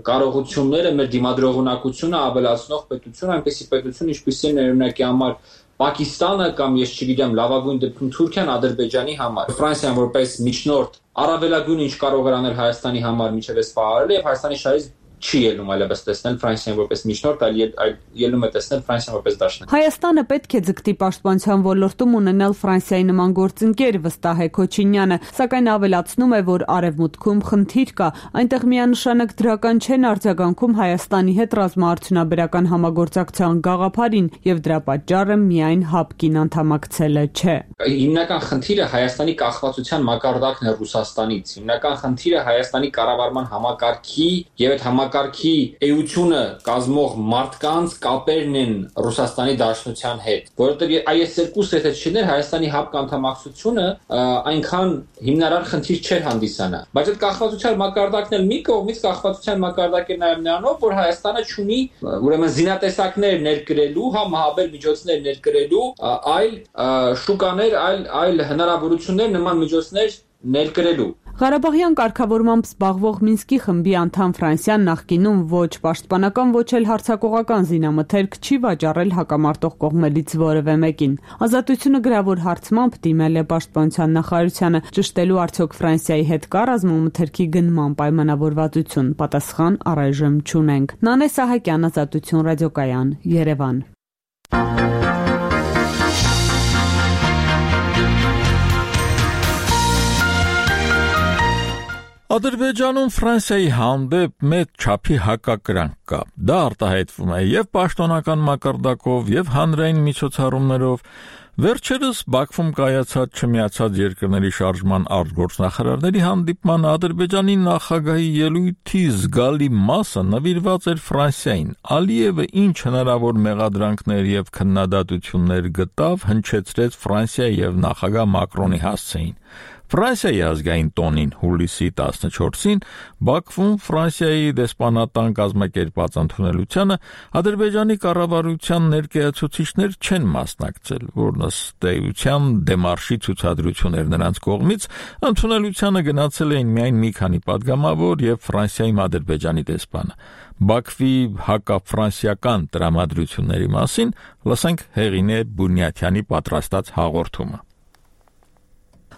կարողությունները, մեր դիմադրողունակությունը ավելացնող պետություն, այնպեսի պետություն, ինչպիսին է օրինակի համար Պակիստանը կամ ես չգիտեմ, լավագույն դեպքում Թուրքիան Ադրբեջանի համար։ Ֆրանսիան որպես միջնորդ առավելագույն ինչ կարող էր անել Հայաստանի համար միջև էս պահարել եւ Հայաստանի շահից չի ելնում այլևս տեսնել Ֆրանսիան որպես միջնորդ, այլ ելնում է տեսնել Ֆրանսիան որպես դաշնակ։ Հայաստանը պետք է ձգտի պաշտպանության ոլորտում ունենալ Ֆրանսիայի նման գործընկեր, վստահ է Քոչինյանը, սակայն ավելացնում է, որ արևմուտքում խնդիր կա, այնտեղ միանշանակ դրական չեն արձագանքում Հայաստանի հետ ռազմաարդյունաբերական համագործակցության գաղափարին եւ դրա պատճառը միայն ՀԱՊԿ-ին անդամակցելը չէ։ Հիմնական խնդիրը Հայաստանի կախվածության մակարդակն է Ռուսաստանից։ Հիմնական խնդիրը Հայաստանի կառավարման համակարգի եւ այդ համակարգի էությունը կազմող մարդկանց կապերն են Ռուսաստանի Դաշնության հետ, որովհետեւ այս երկու սեթեչներ Հայաստանի ՀԱՊԿ անդամակցությունը այնքան հիմնարար խնդիր չէր հանդիսանա, բայց այդ կախվածության մակարդակն էլ մի կողմից կախվածության մակարդակ է նաեւ նրանով, որ Հայաստանը ունի ուրեմն զինատեսակներ ներկրելու, մահաբեր միջոցներ ներկրելու, այլ շուկաներ, այլ հնարավորություններ նման միջոցներ ներկրելու։ Ղարաբաղյան կարգավորմամբ զբաղվող Մինսկի խմբի անդամ Ֆրանսիան նախկինում ոչ պաշտպանական, ոչ էլ հարձակողական զինամթերք չի վաճառել հակամարտող կողմերից որևէ մեկին։ Ազատությունը գրավոր հարցմամբ դիմել է պաշտպանության նախարարությանը, ճշտելու արդյոք Ֆրանսիայի հետ կա ռազմամթերքի գնման պայմանավորվածություն։ Պատասխան առայժմ չունենք։ Նանե Սահակյան, Ազատություն ռադիոկայան, Երևան։ Ադրբեջանում Ֆրանսիայի հանդեպ մեծ չափի հակակրանք կա։ Դա արտահայտվում է եւ պաշտոնական մակարդակով, եւ հանրային միջոցառումներով։ Վերջերս Բաքվում կայացած Չմիացած երկրների շարժման արտգործնախարարների հանդիպման Ադրբեջանի նախագահի ելույթի զգալի մասը նվիրված էր Ֆրանսիային։ Ալիևը ինչ հնարավոր մեղադրանքներ եւ քննադատություններ գտավ, հնչեցրեց Ֆրանսիայի եւ նախագահ Մակրոնի հասցեին։ Ֆրանսիայի ազգային տոնին հուլիսի 14-ին Բաքվում Ֆրանսիայի դեսպանատան կազմակերպած ընդունելությանը Ադրբեջանի կառավարության ներկայացուցիչներ չեն մասնակցել, որն ըստ էության դեմարշի ցուցադրություն էր նրանց կողմից, ընդունելությանը գնացել էին միայն մի քանի падգամավոր եւ Ֆրանսիայի Ադրբեջանի դեսպանը։ Բաքվի հակաֆրանսիական տրամադրությունների մասին լսենք Հեղինե Բունյաթյանի պատրաստած հաղորդումը։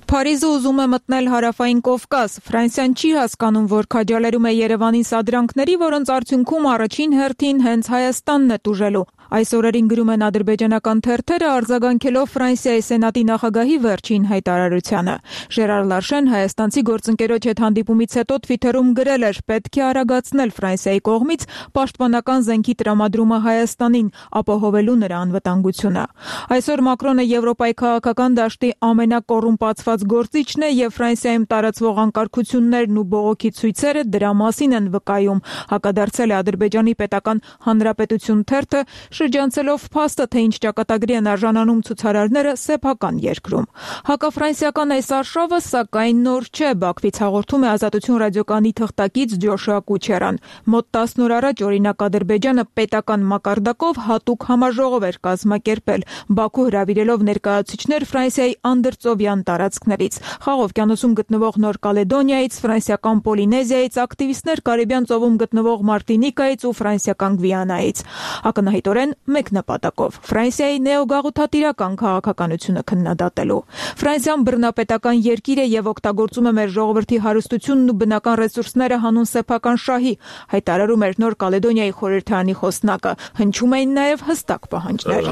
Փարիզը ուզում է մտնել հարավային Կովկաս։ Ֆրանսիան չի հասկանում, որ քաջալերում է Երևանին սադրանքների, որոնց արդյունքում առաջին հերթին հենց Հայաստանն է տուժելու։ Այս օրերին գրում են ադրբեջանական թերթերը, արձագանքելով Ֆրանսիայի սենատի նախագահի վերջին հայտարարությանը։ Ժերար Լարշեն հայաստանցի գործընկերոջ հետ հանդիպումից հետո Թվիթերում գրել էր. «Պետք է արագացնել Ֆրանսիայի կողմից պաշտպանական զենքի տրամադրումը Հայաստանին, ապահովելու նրա անվտանգությունը»։ Այսօր Մակրոնը Եվրոպայի քաղաքական դաշտի ամենակոռումպացված գործիչն է եւ Ֆրանսիայում տարածվող անկարգություններն ու բողոքի ցույցերը դրա մասին են վկայում, հակադարձել է Ադրբեջանի պետական հանրապետություն թերթը, շրջանցելով փաստը, թե ինչ ճակատագրի են արժանանում ցուցարարները սեփական երկրում։ Հակաֆրանսիական այս արշավը սակայն նոր չէ, Բաքվից հաղորդում է Ազատություն ռադիոկայանի թղթակից Ջոշուա Կուչերան։ Մոտ 10 օր առաջ օրինակ Ադրբեջանը պետական մակարդակով հատուկ համաժողով էր կազմակերպել, Բաքու հրավիրելով ներկայացուցիչներ Ֆրանսիայի անդրծովյան տարածքներից, Խաղ օվկիանոսում գտնվող Նոր Կալեդոնիայից, ֆրանսիական Պոլինեզիայից, ակտիվիստներ Կարիբյան ծովում գտնվող Մարտինիկայից ու ֆրանսիական Գվիանայից։ Ակնհայտորեն մեկ նպատակով՝ Ֆրանսիայի նեոգաղութատիրական քաղաքականությունը քննադատելու։ Ֆրանսիան բռնապետական երկիր է եւ օգտագործում է մեր ժողովրդի հարստությունն ու բնական ռեսուրսները հանուն սեփական շահի, հայտարարում էր Նոր Կալեդոնիայի խորհրդարանի խոսնակը։ Հնչում էին նաեւ հստակ պահանջներ։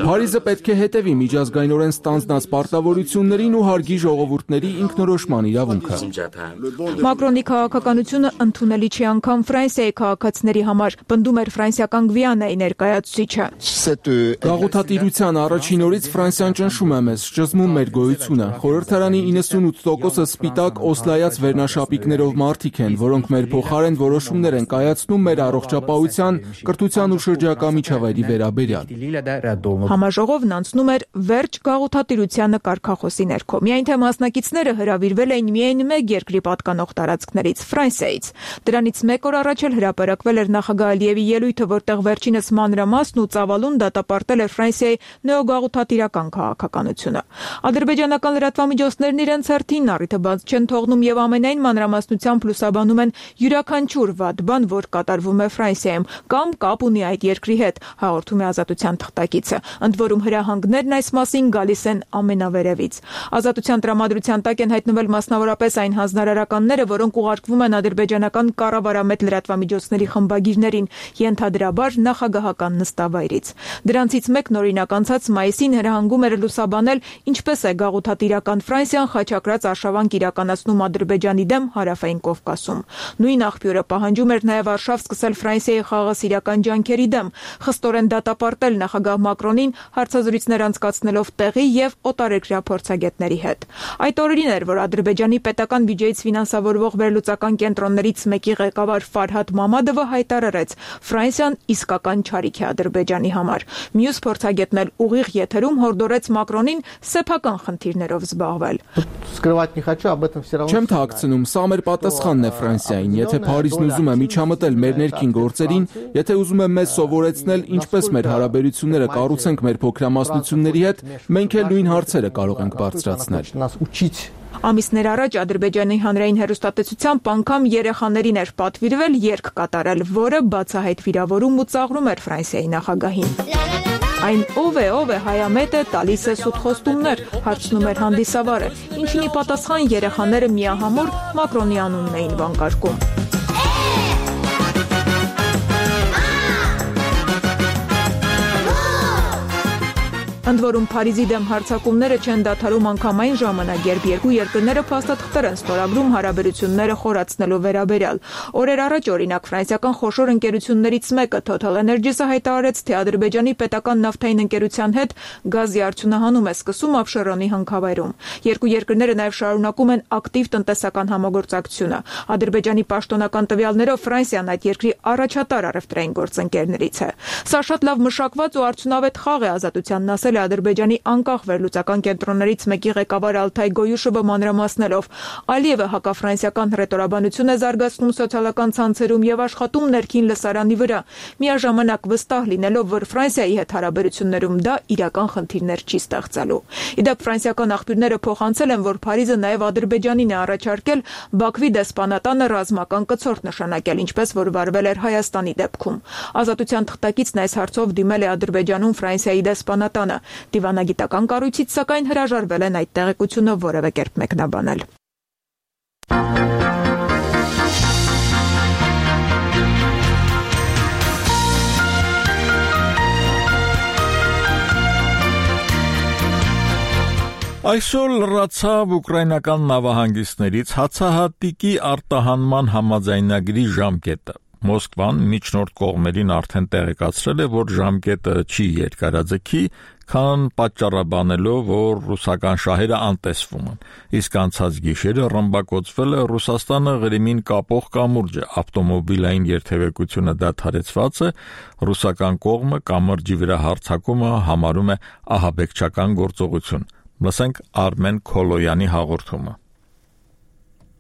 Փարիզը պետք է հետևի միջազգայինորեն ստանձնած պարտավորություններին ու հարգի ժողովուրդների ինքնորոշման իրավունքը։ Մակրոնի քաղաքականությունը ընդունելի չի անգամ Ֆրանսիայի քաղաքացիների համար, պնդում էր ֆրանսիական Գվիանայի ներկայացուցիչը։ Գաղութատիրության առաջին օրից Ֆրանսիան ճնշում է մեզ, ճզմում մեր գոյությունը։ Խորհրդարանի 98%-ը սպիտակ օսլայած վերնաշապիկներով մարդիկ են, որոնք մեր փոխարեն որոշումներ են կայացնում մեր առողջապահության, կրթության ու շրջակա միջավայրի վերաբերյալ։ Համաժողովն անցնում էր վերջ գաղութատիրությանը կարգախոսի ներքո։ Միայն թե մասնակիցները հրավիրվել էին միայն մեկ երկրի պատկանող տարածքներից՝ Ֆրանսիայից։ Դրանից մեկ օր առաջ էլ հրապարակվել էր նախագահ Ալիևի ելույթը, որտեղ վերջինս մանրամասն ու ծավալուն դատապարտել էր Ֆրանսիայի նեոգաղութատիրական քաղաքականությունը։ Ադրբեջանական լրատվամիջոցներն իրենց հերթին առիթը բաց չեն թողնում եւ ամենայն մանրամասնությամբ լուսաբանում են յուրաքանչյուր վատ բան, որ կատարվում է Ֆրանսիայում կամ կապ ունի այդ երկրի հետ, հաղորդում է Ազատության թղթակիցը։ Ընդ որում հրահանգներն այս մասին գալիս են ամենավերևից։ Ազատության տրամադրության տակ են հայտնվել մասնավորապես այն հանձնարարականները, որոնք ուղարկվում են ադրբեջանական կառավարամետ լրատվամիջոցների խմբագիրներին, ենթադրաբար նախագահական նստավայրից։ Դրանցից մեկն օրինակ անցած մայիսին հրահանգում էր լուսաբանել, ինչպես է գաղութատիրական Ֆրանսիան խաչակրած արշավանք իրականացնում Ադրբեջանի դեմ հարավային Կովկասում։ Նույն աղբյուրը պահանջում էր նաև արշավ սկսել Ֆրանսիայի խաղաղասիրական ջանքերի դեմ, խստորեն դատապարտել նախագահ Մակրոնին հարցազրույցներ անցկացնելով տեղի եւ օտարերկրյա փորձագետների հետ։ Այդ օրերին էր, որ Ադրբեջանի պետական բյուջեից ֆինանսավորվող վերլուծական կենտրոններից մեկի ղեկավար Ֆարհադ Մամադովը հայտարարեց. Ֆրանսիան իսկական չարիք է Ադրբեջանի համար։ Մյուս փորձագետն էլ ուղիղ եթերում հորդորեց Մակրոնին սեփական խնդիրներով զբաղվել։ Չեմ թաքցնում, սա մեր պատասխանն է Ֆրանսիային։ Եթե Փարիզն ուզում է միջամտել մեր ներքին գործերին, եթե ուզում է մեզ սովորեցնել ինչպես մեր հարաբերությունները կառուցենք մեր փոքրամասնությունների հետ, մենք էլ նույն հարցերը կարող ենք բարձրացնել։ Ամիսներ առաջ Ադրբեջանի հանրային հեռուստատեսությամբ անգամ երեխաներին էր պատվիրվել երգ կատարել, որը բացահայտ վիրավորում ու ծաղրում էր Ֆրանսիայի նախագահին։ Այն ով է հայամետը, տալիս է սուտ խոստումներ, հարցնում էր հանդիսավարը, ինչին ի պատասխան երեխաները միահամուռ Մակրոնի անունն էին վանկարկում։ Ընդ որում Փարիզի դեմ հարձակումները չեն դադարում անգամ այն ժամանակ, երբ երկու երկրները փաստաթղթեր են ստորագրում հարաբերությունները խորացնելու վերաբերյալ։ Օրեր առաջ օրինակ ֆրանսիական խոշոր ընկերություններից մեկը Total Energies-ը հայտարարեց, թե Ադրբեջանի պետական նավթային ընկերության հետ գազի արդյունահանում է սկսում Աբշերոնի հանքավայրում։ Երկու երկրները նաև շարունակում են ակտիվ տնտեսական համագործակցությունը։ Ադրբեջանի պաշտոնական տվյալներով Ֆրանսիան այդ երկրի առաջատար առևտրային գործընկերներից է։ Սա շատ լավ մշակված ու արդյունավետ խաղ է, Ազատությանն ասել Ադրբեջանի անկախ վերլուծական կենտրոններից մեկի ղեկավար Ալթայ Գոյուշովը մանրամասնելով. Ալիևը հակաֆրանսիական հռետորաբանություն է զարգացնում սոցիալական ցանցերում եւ աշխատում ներքին լսարանի վրա, միաժամանակ վստահ լինելով, որ Ֆրանսիայի հետ հարաբերություններում դա իրական խնդիրներ չի ստեղծելու։ Իդեպ ֆրանսիական աղբյուրները փոխանցել են, որ Փարիզը նաեւ Ադրբեջանին է առաջարկել Բաքվի դեսպանատանը ռազմական կցորդ նշանակել, ինչպես որ վարվել էր Հայաստանի դեպքում։ Ազատության թղթակիցն այս հարցով դիմել է Ադրբեջանում Ֆրանսիայի դեսպանատանը։ Դիվանագիտական կառույցից սակայն հրաժարվել են այդ տեղեկությունը որևէ կերպ մեկնաբանել։ Այսօր լրացավ ուկրաինական նավահանգիստներից հացահատիկի արտահանման համաձայնագրի ժամկետը։ Մոսկվան միջնորդ կողմերին արդեն տեղեկացրել է, որ ժամկետը չի երկարաձգի, քան պատճառաբանելով, որ ռուսական շահերը անտեսվում են։ Իսկ անցած գիշերը ռմբակոծվել է Ռուսաստանը Ղրիմին կապող կամուրջը, ավտոմոբիլային երթևեկությունը դադարեցված է, ռուսական կողմը կամրջի վրա հարձակումը համարում է ահաբեկչական գործողություն։ Լսենք Արմեն Քոլոյանի հաղորդումը։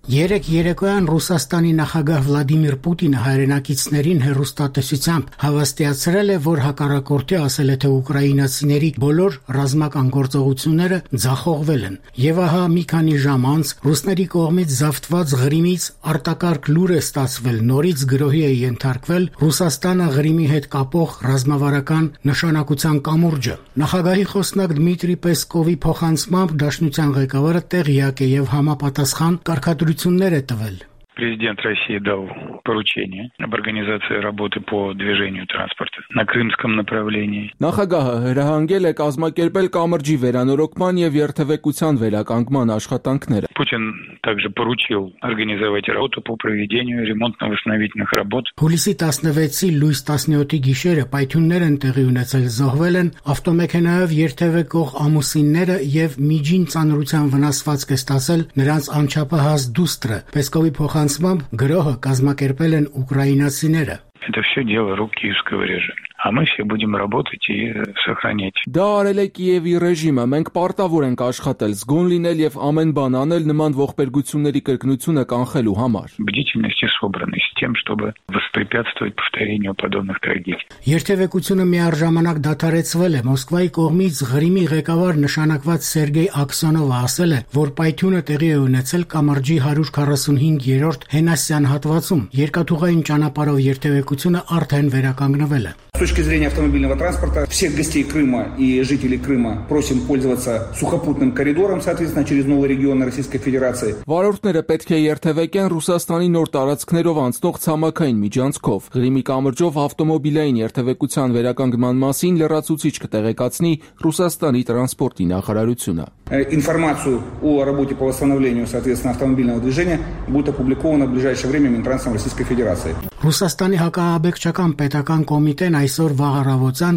Երեկ երեկոյան Ռուսաստանի նախագահ Վլադիմիր Պուտինը հայրենակիցներին հեռուստատեսությամբ հավաստիացրել է, որ հակառակորդի ասել է, թե ուկրաինացիների բոլոր ռազմական գործողությունները ձախողվել են։ Եվ ահա մի քանի ժամ անց ռուսների կողմից զավթված Ղրիմից արտակարգ լուր է ստացվել, նորից գրոհի է ենթարկվել Ռուսաստանը Ղրիմի հետ կապող ռազմավարական նշանակության կամուրջը։ Նախագահի խոսնակ Դմիտրի Պեսկովի փոխանցմամբ Դաշնության ղեկավարը տեղյակ է եւ համապատասխան կարգադրություններ է տվել։ Президент России дал поручение об организации работы по движению транспорта на крымском направлении. Նախագահը հրահանգել է կազմակերպել կամրջի վերանորոգման եւ երթևեկության վերականգնման աշխատանքները։ Путин также поручил организовать работу по проведению ремонтно-восстановительных работ. Հուլիսի 16-ի լույս 17-ի գիշերը պայթյուններ են տեղի ունեցել, զոհվել են ավտոմեքենայով երթևեկող ամուսինները եւ միջին ծանրության վնասվածք է ստացել նրանց անչափահաս դուստրը։ Պեսկովի փոխանցմամբ գրոհը կազմակերպել են ուկրաինացիները։ Это все дело рук киевского режима. А мы все будем работать и сохранять. Դա արել է Կիևի ռեժիմը, մենք պարտավոր ենք աշխատել, զգոն լինել եւ ամեն բան անել նման ողբերգությունների կրկնությունը կանխելու համար։ Бдительность и собранность с тем, чтобы воспрепятствовать повторению подобных трагедий. Երթևեկությունը միառժամանակ դադարեցվել է։ Մոսկվայի կողմից Ղրիմի ղեկավար նշանակված Սերգեյ Աքսյոնովը ասել է, որ պայթյունը տեղի է ունեցել կամրջի 145-րդ հենասյան հատվածում։ Երկաթուղային ճանապարհով երթևեկությունը արդեն վերականգնվել է։ С точки зрения автомобильного транспорта, всех гостей Крыма и жителей Крыма просим пользоваться сухопутным коридором, соответственно, через новые регионы Российской Федерации. Վարորդները պետք է երթևեկեն Ռուսաստանի նոր տարածքներով անցնող ցամաքային միջանցքով։ Ղրիմի կամրջով ավտոմոբիլային երթևեկության վերականգնման մասին լրացուցիչ կտեղեկացնի Ռուսաստանի տրանսպորտի նախարարությունը։ Информацию о работе по восстановлению, соответственно, автомобильного движения будет опубликована в ближайшее время Минтрансом Российской Федерации. Ռուսաստանի հակաահաբեկչական պետական կոմիտեն այսօր վաղ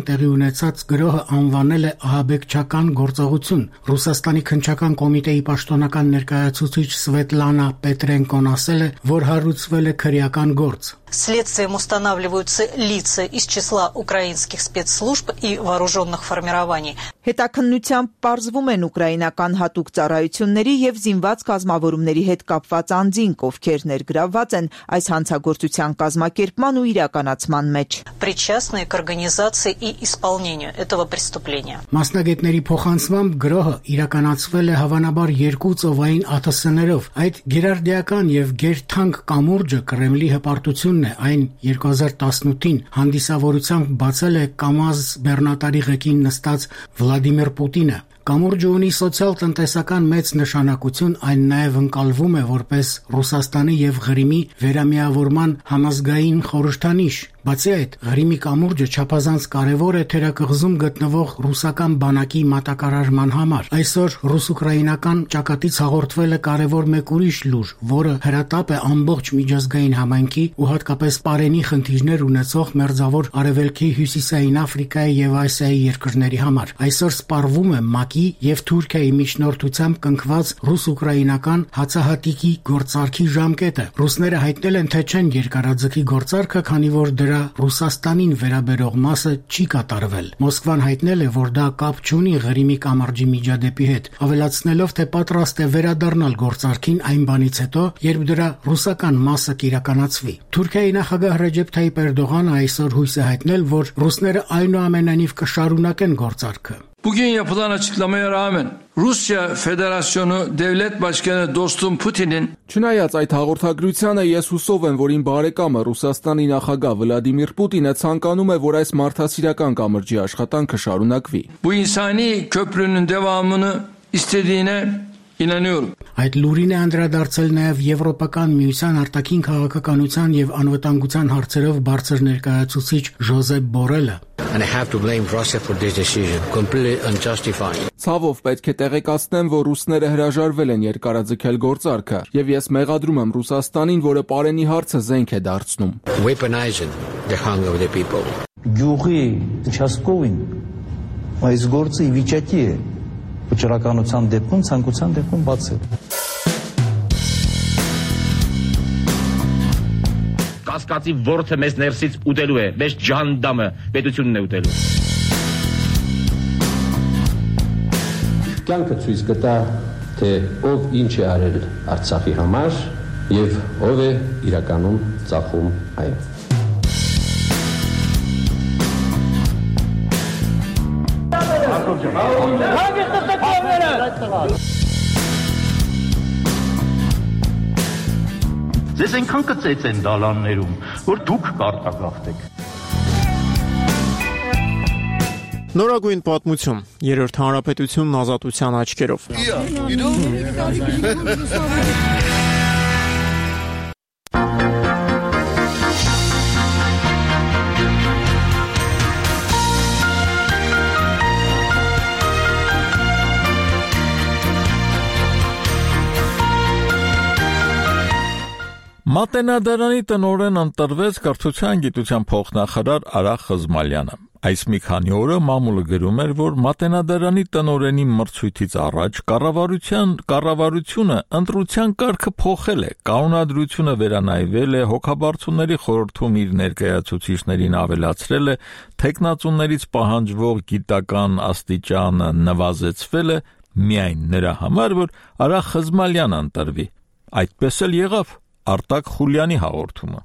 տեղի ունեցած գրոհը անվանել է ահաբեկչական գործողություն։ Ռուսաստանի քննչական կոմիտեի պաշտոնական ներկայացուցիչ Սվետլանա Պետրենկոն ասել է, որ հարուցվել է քրեական գործ։ Следствием устанавливаются лица из числа украинских спецслужб и вооруженных формирований. Հետաքննությամբ պարզվում են ուկրաինական հատուկ ծառայությունների եւ զինված կազմավորումների հետ կապված անձինք, ովքեր ներգրավված են այս հանցագործության կազմակերպման ու իրականացման մեջ։ Причастные к организации и исполнению этого преступления. Մասնագետների փոխանցմամբ գրոհը իրականացվել է հավանաբար երկու ծովային ԱԹՍ-ներով։ Այդ գերարդիական եւ գերթանկ կամուրջը Կրեմլի հպարտությունն է, այն 2018-ին հանդիսավորությամբ բացել է Կամազ բեռնատարի ղեկին նստած Վլադիմիր Պուտինը։ Կամուրջը ունի սոցիալ-տնտեսական մեծ նշանակություն, այն նաև ընկալվում է որպես Ռուսաստանի եւ Ղրիմի վերամիավորման համազգային խորհրդանիշ։ Բացի այդ, Ղրիմի կամուրջը չափազանց կարևոր է թերակղզում գտնվող ռուսական բանակի մատակարարման համար։ Այսօր ռուս-ուկրաինական ճակատից հաղորդվել է կարևոր մեկ ուրիշ լուր, որը հրատապ է ամբողջ միջազգային համայնքի ու հատկապես Պարենի խնդիրներ ունեցող մերձավոր Արևելքի, Հյուսիսային Աֆրիկայի եւ Ասիայի երկրների համար։ Այսօր սպառվում է ՄԱԿ-ի եւ Թուրքիայի միջնորդությամբ կնքված ռուս-ուկրաինական հացահատիկի գործարքի ժամկետը։ Ռուսները հայտնել են, թե չեն երկարաձգի գործարքը, քանի որ դրա Ռուսաստանին վերաբերող մասը չի կատարվել։ Մոսկվան հայտնել է, որ դա կապ չունի Ղրիմի կամրջի միջադեպի հետ, ավելացնելով, թե պատրաստ է վերադառնալ գործարքին այն բանից հետո, երբ դրա ռուսական մասը կիրականացվի։ Թուրքիայի նախագահ Ռեջեփ Թայիպ Էրդողանը այսօր հույս է հայտնել, որ ռուսները այնուամենայնիվ կշարունակեն գործարքը։ Bugün yapılan açıklamaya rağmen Rusya Federasyonu Devlet Başkanı dostum Putin'in Չնայած այդ հաղորդագրությանը ես հուսով եմ, որ իմ բարեկամը Ռուսաստանի նախագահ Վլադիմիր Պուտինը ցանկանում է, որ այս մարդասիրական կամրջի աշխատանքը շարունակվի. Bu insani köprünün devamını istediğine inanıyorum. Այդ լուրին է անդրադարձել նաև Եվրոպական միության արտաքին քաղաքականության եւ անվտանգության հարցերով բարձր ներկայացուցիչ Ժոզեփ Բորելը. And I have to blame Russia for this decision, completely unjustified. Ցավով պետք է տեղեկացնեմ, որ ռուսները հրաժարվել են երկարաձգել գործարքը, եւ ես մեղադրում եմ Ռուսաստանին, որը Պարենի հարցը զենք է դարձնում. Weaponizing the hunger of the people. Գյուղի участковին այս գործը վիճակի է վճռականության դեպքում, ցանկության դեպքում բացել. Կասկածի ворթը մեզ ներսից ուտելու է, մեզ ջանդամը պետությունն է ուտելու։ Կյանքը ցույց կտա, թե ով ինչ է արել Արցախի համար եւ ով է իրականում ծախում այն։ Ձեզ այնքան կծեց են դալաններում, որ դուք կարտագաղթեք։ Նորագույն պատմություն, երրորդ հանրապետությունն ազատության աչքերով։ Մատենադարանի տնօրեն ընտրվեց կրթության գիտության փոխնախարար Արա Խզմալյանը։ Այս մի քանի օրը մամուլը գրում էր, որ Մատենադարանի տնօրենի մրցույթից առաջ կառավարությունը ընտրության կարգը փոխել է, կանոնադրությունը վերանայվել է, հոգաբարձուների խորհրդում իր ներկայացուցիչներին ավելացրել է, թեկնածուներից պահանջվող գիտական աստիճանը նվազեցվել է միայն նրա համար, որ Արա Խզմալյանը ընտրվի։ Այդպես էլ եղավ։ Արտակ Խուլյանի հաղորդումը։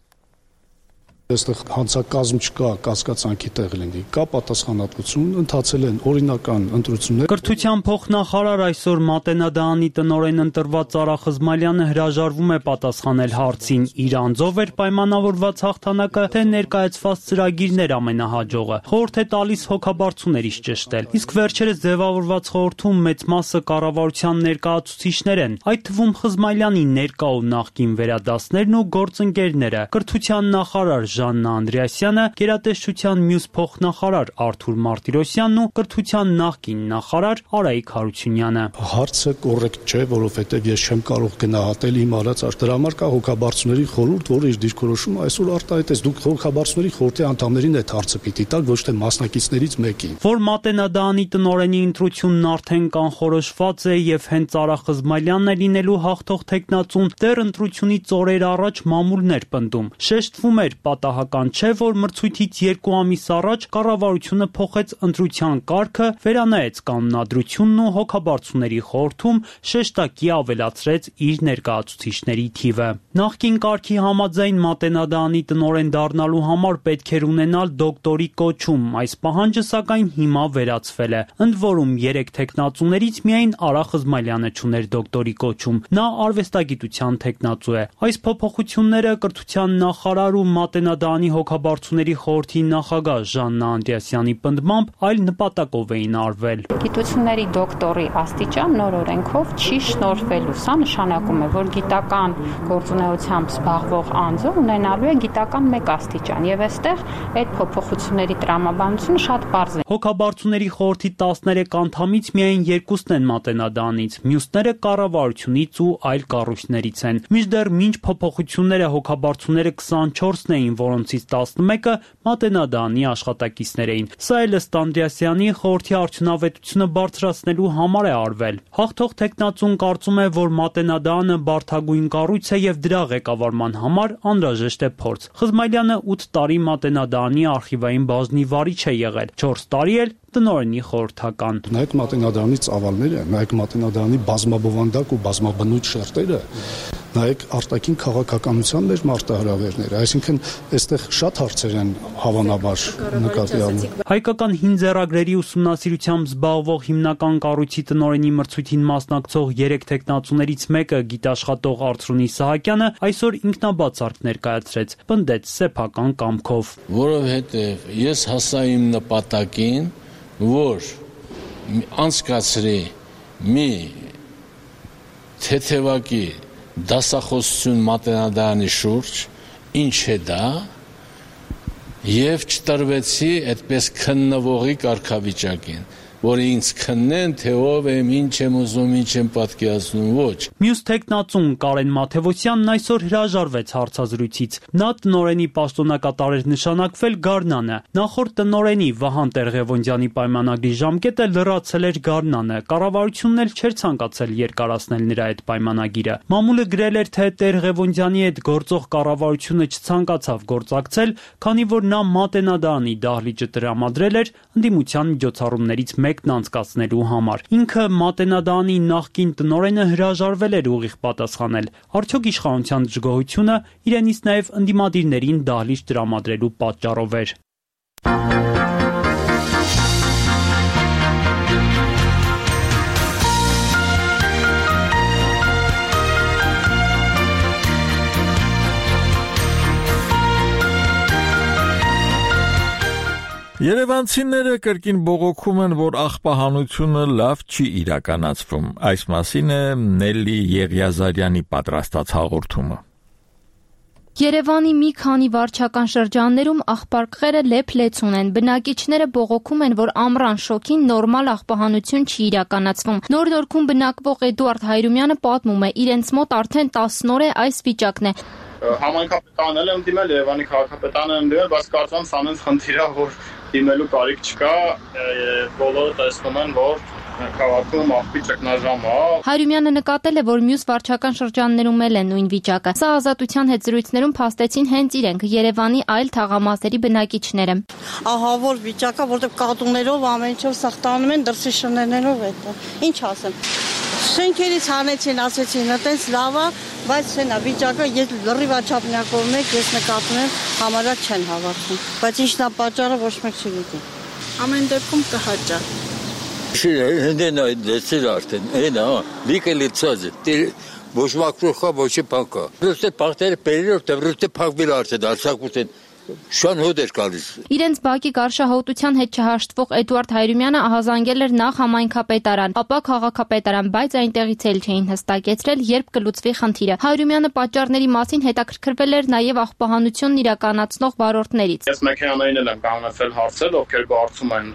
Այստեղ հանցակազմ չկա, կասկածանքի տեղ լինի, կա պատասխանատվություն, ընթացել են օրինական ընտրություններ։ Կրթության փոխնախարար այսօր Մատենադարանի տնօրեն ընտրված Արա Խզմալյանը հրաժարվում է պատասխանել հարցին՝ իր անձով էր պայմանավորված հաղթանակը, թե ներկայացված ծրագիրն էր ամենահաջողը։ Խորհուրդ է տալիս հոգաբարձուներից ճշտել։ Իսկ վերջերս ձևավորված խորհրդում մեծ մասը կառավարության ներկայացուցիչներ են, այդ թվում Խզմալյանի ներկա ու նախկին վերադասներն ու գործընկերները։ Կրթության նախարար Ժաննա Անդրեասյանը, գերատեսչության մյուս փոխնախարար Արթուր Մարտիրոսյանն ու կրթության նախկին նախարար Արայիկ Հարությունյանը։ Հարցը կոռեկտ չէ, որովհետև ես չեմ կարող գնահատել իմ արած դրա համար կա հոգաբարձուների խորհուրդ, որը իր դիրքորոշումը այսօր արտահայտեց։ Դուք հոգաբարձուների խորհրդի անդամներին այդ հարցը պիտի տաք, ոչ թե մասնակիցներից մեկին։ Որ Մատենադարանի տնօրենի ընտրությունն արդեն կանխորոշված է եւ հենց Արա Խզմալյանն է լինելու հաղթող թեկնածուն, դեռ ընտրությունից օրեր առաջ մամուլն էր պնդում։ Շեշտվում էր պատահական չէ, որ մրցույթից 2 ամիս առաջ կառավարությունը փոխեց ընտրության կարգը, վերանայեց կանոնադրությունն ու հոգաբարձուների խորհրդում շեշտակի ավելացրեց իր ներկայացուցիչների թիվը։ Նախկին կարգի համաձայն Մատենադարանի տնօրեն դառնալու համար պետք էր ունենալ դոկտորի կոչում, այս պահանջը սակայն հիմա վերացվել է։ Ընդ որում 3 թեկնածուներից միայն Արա Խզմալյանը չուներ դոկտորի կոչում, նա արվեստագիտության թեկնածու է։ Այս փոփոխությունները կրթության նախարար ու Մատենադարանի հոգաբարձուների խորհրդի նախագահ Ժաննա Անդրեասյանի պնդմամբ այլ նպատակով էին արվել։ Գիտությունների դոկտորի աստիճան նոր օրենքով չի շնորհվելու։ Սա նշանակում է, որ գիտական գործունեությամբ զբաղվող անձը ունենալու է գիտական 1 աստիճան, եւ այստեղ այդ փոփոխությունների տրամաբանությունը շատ պարզ է։ Հոգաբարձուների խորհրդի 13 անդամից միայն 2-ն են Մատենադարանից, մյուսները կառավարությունից ու այլ կառույցներից են։ Մինչդեռ մինչ փոփոխությունները հոգաբարձուները 24-ն էին, որոնցից 11-ը Մատենադարանի աշխատակիցներ էին։ Սա էլ ըստ Անդրեասյանի խորհրդի արդյունավետությունը բարձրացնելու համար է արվել։ Հաղթող թեկնածուն կարծում է, որ Մատենադարանը բարդագույն կառույց է եւ դրա ղեկավարման համար անհրաժեշտ է փորձ։ Խզմալյանը 8 տարի Մատենադարանի արխիվային բաժնի վարիչ է եղել, 4 տարի էլ տնօրենի խորհրդական։ Նայեք Մատենադարանի ծավալները, նայեք Մատենադարանի բազմաբովանդակ ու բազմաբնույթ շերտերը, նայեք արտաքին քաղաքականության մեր մարտահրավերները, այսինքն այստեղ շատ հարցեր են հավանաբար նկատի առնում։ Հայկական հին ձեռագրերի ուսումնասիրությամբ զբաղվող հիմնական կառույցի տնօրենի մրցույթին մասնակցող 3 տեխնացուներից մեկը գիտաշխատող Արծրունի Սահակյանը այսօր ինքնաբաց արկ ներկայացրեց, պնդեց սեփական կամքով։ Որովհետև ես հասա իմ նպատակին, որ անցկացրի մի թեթևակի դասախոսություն մատենադարանի շուրջ, ինչ է դա, եւ չտրվեցի այդպես քննվողի կարգավիճակին, որ ինձ քննեն, թե ով եմ, ինչ եմ ուզում, ինչ եմ պատկերացնում, ոչ։ Մյուս տեխնացուն Կարեն Մաթևոսյանն այսօր հրաժարվեց հարցազրույցից։ Նա տնօրենի պաշտոնակատար էր նշանակվել Գառնանը։ Նախորդ տնօրենի Վահան Տեր-Ղևոնդյանի պայմանագրի ժամկետը լրացել էր Գառնանը։ Կառավարությունն էլ չէր ցանկացել երկարացնել նրա այդ պայմանագիրը։ Մամուլը գրել էր, թե Տեր-Ղևոնդյանի հետ գործող կառավարությունը չցանկացավ գործակցել, քանի որ նա մատենադարանի դահլիճը տրամադրել էր ընդդիմության միջոցառումներից մեկն անցկացնելու համար։ Ինքը մատենադարանի նախկին տնօրենը հրաժարվել էր ուղիղ պատասխանել։ Արդյոք իշխանության դժգոհությունը իրենից նաև ընդդիմադիրներին դահլիճ տրամադրելու պատճառով էր։ Երևանցիները կրկին բողոքում են, որ աղբահանությունը լավ չի իրականացվում։ Այս մասին է Նելի Եղիազարյանի պատրաստած հաղորդումը։ Երևանի մի քանի վարչական շրջաններում աղբարկղերը լեփ-լեցուն են։ Բնակիչները բողոքում են, որ ամռան շոկին նորմալ աղբահանություն չի իրականացվում։ Նոր Նորքում բնակվող Էդուարդ Հայրումյանը պատմում է, իրենց մոտ արդեն 10 օր է այս վիճակն է։ Համայնքապետանն էլ եմ դիմել, Երևանի քաղաքապետանն եմ դիմել, բայց կարծում եմ սանենց խնդիր է, որ դիմելու կարիք չկա, բոլորը տեսնում են, որ քաղաքում աղբի ճգնաժամ է։ Հայրումյանը նկատել է, որ մյուս վարչական շրջաններում էլ է նույն վիճակը։ Սա Ազատության հետ զրույցներում փաստեցին հենց իրենք Երևանի այլ թաղամասերի բնակիչները։ Ահա որ վիճակը, որտեղ կատուներով ամեն ինչով սխտանում են, դրսի շներներով է դա։ Ինչ ասեմ։ Շենքերից հանեցին, ասեցին, այտենց լավ է, բայց սենա վիճակը ես լրիվ աչափնյակով մեկ ես նկատում եմ, համարյա չեն հավատում։ Բայց ինչն է պատճառը ոչ մեկ չգիտի։ Ամեն դեպքում կհաճա։ Հնդեն այդ դեսեր արդեն, այն լիքը լիցած է, ոչ մակրոխա, ոչի պանկա։ Ռուստե պաղտերը պերերով, թե ռուստե պաղվել արդեն, արցակուտ են, շան հոդ էր կալիս։ Իրենց բակի գարշահոտության հետ չհաշտվող Էդուարդ Հայրումյանը ահազանգել էր նախ համայնքապետարան, ապա քաղաքապետարան, բայց այնտեղից էլ չէին հստակեցրել, երբ կլուծվի խնդիրը։ Հայրումյանը պատճառների մասին հետաքրքրվել էր նաև աղբահանությունն իրականացնող վարորդներից։ Ես մեքենաներին եմ կանգնեցել հարցել, ովքեր գործում են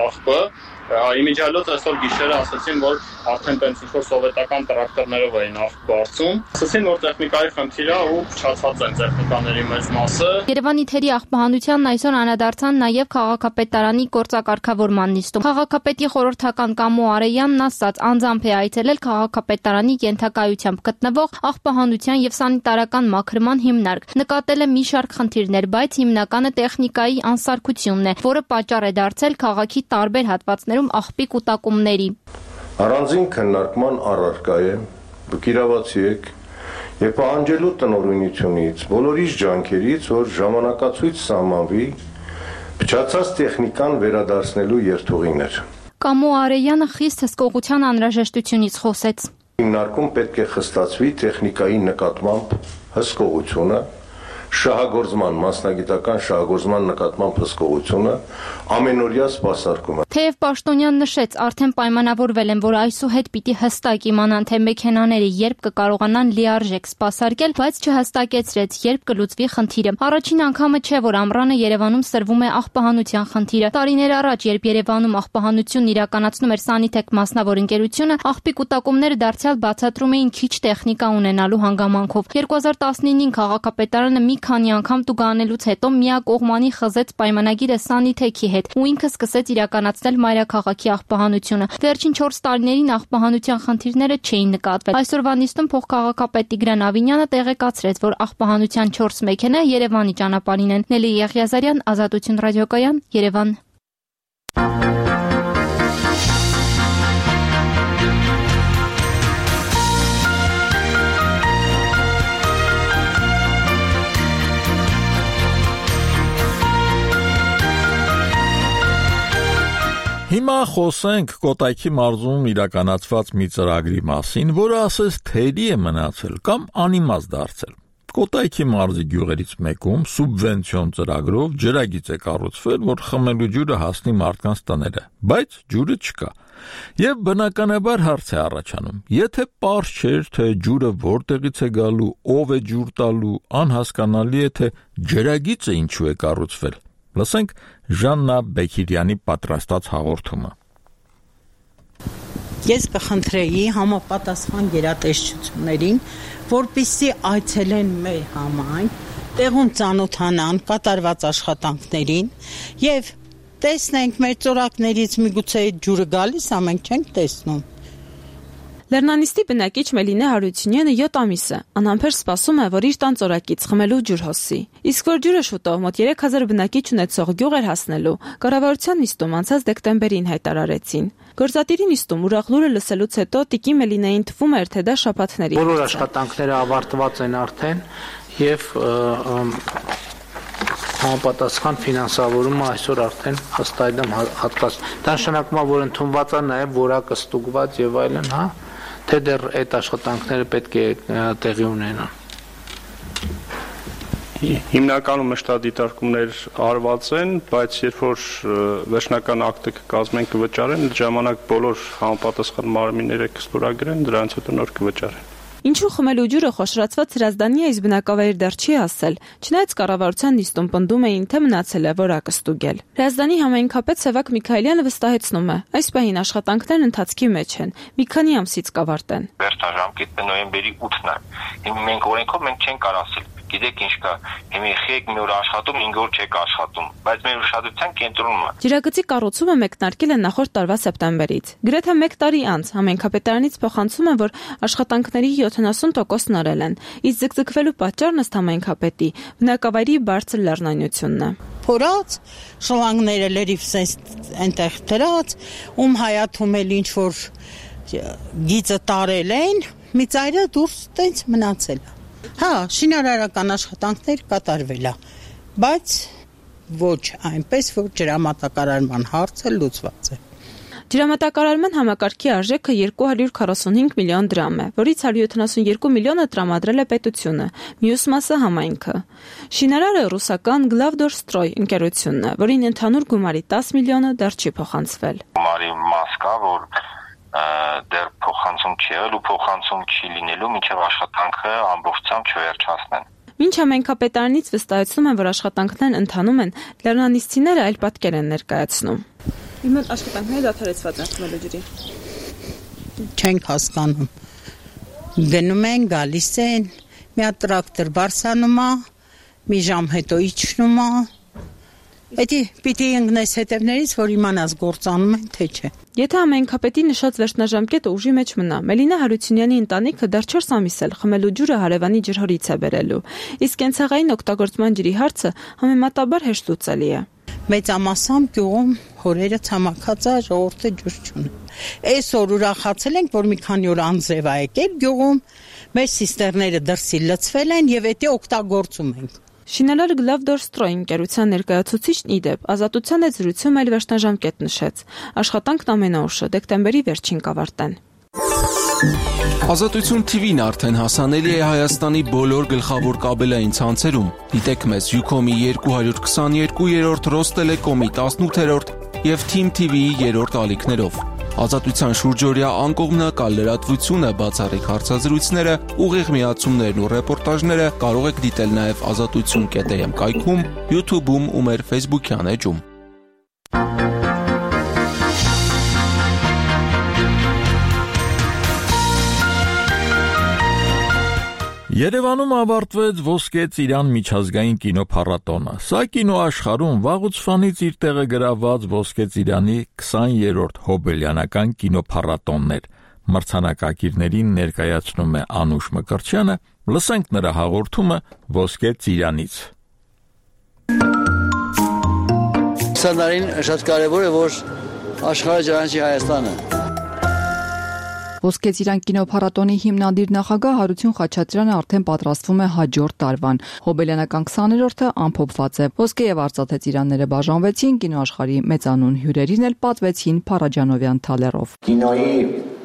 աղբը։ Իմիջիալոց այսօր գիշերը ասացին, որ արդեն տենց ինչ-որ սովետական տրակտորներով էին աղբ բարձում։ Ասացին, որ տեխնիկայի խնդիր է ու փչացած են տեխնիկաների մեծ մասը։ Երևանի թերի աղբահանությանն այսօր անդրադարձան նաև քաղաքապետարանի գործակարգավորման նիստում։ Քաղաքապետի խորհրդական Կամո Արեյանն ասաց, անձամբ է այցելել քաղաքապետարանի ենթակայությամբ գտնվող աղբահանության եւ սանիտարական մաքրման հիմնարկ։ Նկատել է մի շարք խնդիրներ, բայց հիմնականը տեխնիկայի անսարքությունն է, որը պատճառ է դարձել քաղաքի տարբեր հատվածներում աղբի կուտակումների։ Առանձին քննարկման առարկա է, բկիրավացի եք եւ պահանջելու տնօրինությունից, բոլորիս ջանքերից, որ ժամանակացույց սահմանվի փչացած տեխնիկան վերադարձնելու երթուղիներ։ Կամո Արեյանը խիստ հսկողության անհրաժեշտությունից խոսեց։ Հիմնարկում պետք է խստացվի տեխնիկայի նկատմամբ հսկողությունը, շահագործման, մասնագիտական շահագործման նկատմամբ հսկողությունը, ամենօրյա սպասարկումը։ Թեև Պաշտոնյան նշեց, արդեն պայմանավորվել են, որ այսուհետ պիտի հստակ իմանան, թե մեքենաները երբ կկարողանան լիարժեք սպասարկել, բայց չհստակեցրեց, երբ կլուծվի խնդիրը։ Առաջին անգամը չէ, որ ամռանը Երևանում սրվում է աղբահանության խնդիրը։ Տարիներ առաջ, երբ Երևանում աղբահանությունն իրականացնում էր Սանիտեք մասնավոր ընկերությունը, աղբի կուտակումները դարձյալ բացատրում էին քիչ տեխնիկա ունենալու հանգամանքով։ 2019-ին քաղաքապետարանը մի քանի անգամ տուգանելուց հետո միակողմանի խզեց պայմանագիրը Սանիթեքի հետ ու ինքը սկսեց իրականացնել մայրաքաղաքի աղբահանությունը։ Վերջին 4 տարիներին աղբահանության խնդիրները չէին նկատվել։ Այսօրվա նիստում փոխքաղաքապետ Տիգրան Ավինյանը տեղեկացրեց, որ աղբահանության 4 մեքենա Երևանի ճանապարհին են։ Նելի Եղիազարյան, Ազատություն ռադիոկայան, Երևան։ խոսենք Կոտայքի մարզում իրականացված մի ծրագրի մասին, որը ասես թերի է մնացել կամ անիմաստ դարձել։ Կոտայքի մարզի գյուղերից մեկում սուբվենցիոն ծրագրով ջրագիծ է կառուցվել, որ խմելու ջուրը հասնի մարդկանց տները, բայց ջուրը չկա։ Եվ բնականաբար հարց է առաջանում. եթե պարզ չէր, թե ջուրը որտեղից է գալու, ով է ջուր տալու, անհասկանալի է, թե ջրագիծը ինչու է կառուցվել։ Լսենք Ժաննա Բեքիրյանի պատրաստած հաղորդումը։ Ես կխնդրեի համապատասխան գերատեսչություններին, որպեսզի այցելեն մեր համայնք, տեղում ծանոթանան կատարված աշխատանքներին եւ տեսնենք մեր ծորակներից միգուցե այդ ջուրը գալիս, ամենք չենք տեսնում։ Լեռնանիստի բնակիչ Մելինե Հարությունյանը 7 ամիս է, անհամբեր սպասում է, որ իր տան ծորակից խմելու ջուր հոսի։ Իսկ որ ջուրը շուտով մոտ 3000 բնակիչ ունեցող գյուղ էր հասնելու, կառավարության նիստում անցած դեկտեմբերին հայտարարեցին։ Գործադիրի նիստում ուրախ լուրը լսելուց հետո տիկի Մելինեին թվում էր, թե դա շաբաթների։ Բոլոր աշխատանքները ավարտված են արդեն եւ համապատասխան ֆինանսավորումը այսօր արդեն հստայդեմ հատկաց։ Դա նշանակում է, որ ընդունված է նաև որակը ստուգված եւ այլն, հա, թե դեռ այդ աշխատանքները պետք է տեղի ունենան։ Հիմնականում մշտադիտարկումներ արված են, բայց երբ որ վերջնական ակտը կկազմեն կվճարեն, ժամանակ բոլոր համապատասխան մարմինները կստորագրեն, դրանից հետո նոր կվճարեն։ Ինչու խմելու ջուրը խոշորացված հրազդանի այս բնակավայր դեռ չի հասել, չնայած կառավարության նիստում պնդում էին, թե մնացել է որակը ստուգել։ Հրազդանի համայնքապետ Սևակ Միքայելյանը վստահեցնում է, այս պահին աշխատանքներն ընթացքի մեջ են, մի քանի ամսից կավարտեն։ Վերջնաժամկետը նոյեմբերի 8-ն է։ Հիմա մենք օրենքով չենք կարող ասել, գիտեք ինչ կա, հիմա եք մի օր աշխատում, 5 օր չեք աշխատում, բայց մեր ուշադրության կենտրոնում է։ Ջրագծի կառուցումը մեկնարկել է նախորդ տարվա սեպտեմբերից։ Գրեթե 1 տարի անց համայնքապետարանից փոխանցում են, որ աշխատանքների 70%-ն արել են, իսկ ձգձգվելու պատճառն ըստ համայնքապետի բնակավայրի բարձր լեռնայնությունն է։ Փորած շլանգները լրիվ այնտեղ դրած, հայաթում էլ ինչ որ գիծը տարել են, մի ծայրը դուրս տենց մնացել է։ Հա, շինարարական աշխատանքներ կատարվել է, բայց ոչ այնպես, որ ջրամատակարարման հարցը լուծված է։ Ջրամատակարարման համակարգի արժեքը 245 միլիոն դրամ է, որից 172 միլիոնը տրամադրել է պետությունը, մյուս մասը համայնքը։ Շինարարը ռուսական Glavdor-Stroy ընկերությունն է, որին ընդհանուր գումարի 10 միլիոնը դեռ չի փոխանցվել։ Գումարի մաս կա, որ դեռ փոխանցում չի եղել ու փոխանցում չի լինելու, մինչև աշխատանքը ամբողջությամբ չվերջացնեն։ Մինչ համայնքապետարանից վստահեցնում են, որ աշխատանքներն ընթանում են, լեռնանիստիները այլ պատկեր են ներկայացնում։ Հիմա աշխատանքները դադարեցված են խմելու ջրի։ Չենք հասկանում։ Գնում են, գալիս են, մի հատ տրակտոր բարսանում է, մի ժամ հետո իջնում է։ Էդի պիտի ընկնես հետևներից, որ իմանաս գործանում են, թե չէ։ Եթե համայնքապետի նշած վերջնաժամկետը ուժի մեջ մնա, Մելինա Հարությունյանի ընտանիքը դեռ 4 ամիս էլ խմելու ջուրը հարևանի ջրհորից է բերելու, իսկ կենցաղային օգտագործման ջրի հարցը համեմատաբար հեշտ լուծելի է։ Մեծամասամբ գյուղում հորերը ցամաքած է, ժողովուրդը ջուր չունի։ Այսօր ուրախացել ենք, որ մի քանի օր անձրև է եկել գյուղում, մեր սիստերները դրսի լցվել են եւ դա օգտագործում ենք։ Շինարարը Glavdor-Stroy ընկերության ներկայացուցիչն իդեպ ազատության հետ զրույցում այլ վերջնաժամկետ նշեց։ Աշխատանքն ամենաուշը դեկտեմբերի վերջին կավարտեն։ Ազատություն TV-ն արդեն հասանելի է Հայաստանի բոլոր գլխավոր կաբելային ցանցերում։ Դիտեք մեզ Ucom-ի 222-րդ, Rostelecom-ի 18-րդ եւ Team TV-ի 3-րդ ալիքներով։ Ազատության շուրջօրյա անկողմնակալ լրատվությունը, բացառիկ հարցազրույցները, ուղիղ միացումներն ու ռեպորտաժները կարող եք դիտել նաև azatutsun.am կայքում, YouTube-ում ու մեր Facebook-յան էջում։ Երևանում ավարտվեց Ոսկե Ծիրան միջազգային կինոփառատոնը։ Սա կինոաշխարհում վաղուց ֆանից իր տեղը գրաված Ոսկե Ծիրանի 20-րդ հոբելյանական կինոփառատոնն էր։ Մրցանակակիրներին ներկայացնում է Անուշ Մկրտչյանը, լսենք նրա հաղորդումը Ոսկե Ծիրանից։ Սա շատ կարևոր է, որ աշխարհը ճանաչի Հայաստանը։ Ոսկե ծիրան կինոփառատոնի հիմնադիր նախագահ Հարություն Խաչատրյանը արդեն պատրաստվում է հաջորդ տարվան։ Հոբելյանական 20-րդը ամփոփված է։ Ոսկե եւ արծաթե ծիրանները բաժանվեցին, կինոաշխարհի մեծանուն հյուրերին էլ պատվեցին Փարաջանովյան թալերով։ Կինոյի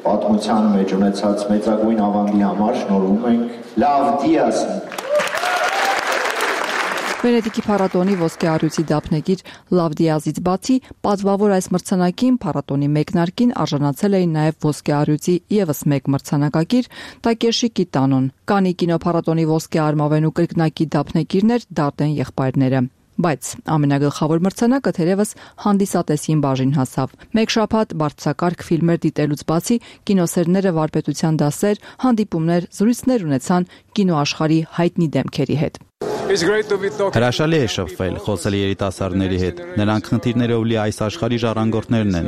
պատմության մեջ ունեցած մեծագույն ավանդի համար շնորհում ենք Լավ Դիաս։ Վենետիկի փառատոնի ոսկե առյուծի դափնեկիր Լավ Դիազից բացի պատվավոր այս մրցանակին փառատոնի մեկնարկին արժանացել էին նաև ոսկե առյուծի եւս մեկ մրցանակակիր Տակեշի Կիտանոն, Կանի կինոփառատոնի ոսկե արմավենու կրկնակի դափնեկիրներ Դարտեն եղբայրները։ Բայց ամենագլխավոր մրցանակը թերևս հանդիսատեսին բաժին հասավ։ Մեկ շաբաթ բարձրակարգ ֆիլմեր դիտելուց բացի կինոսերները վարպետության դասեր, հանդիպումներ, զրույցներ ունեցան կինոաշխարհի հայտնի դեմքերի հետ։ Հրաշալի է շփվել, խոսել երիտասարդների հետ։ Նրանք խնդիրներով լի այս աշխարհի ժառանգորդներն են։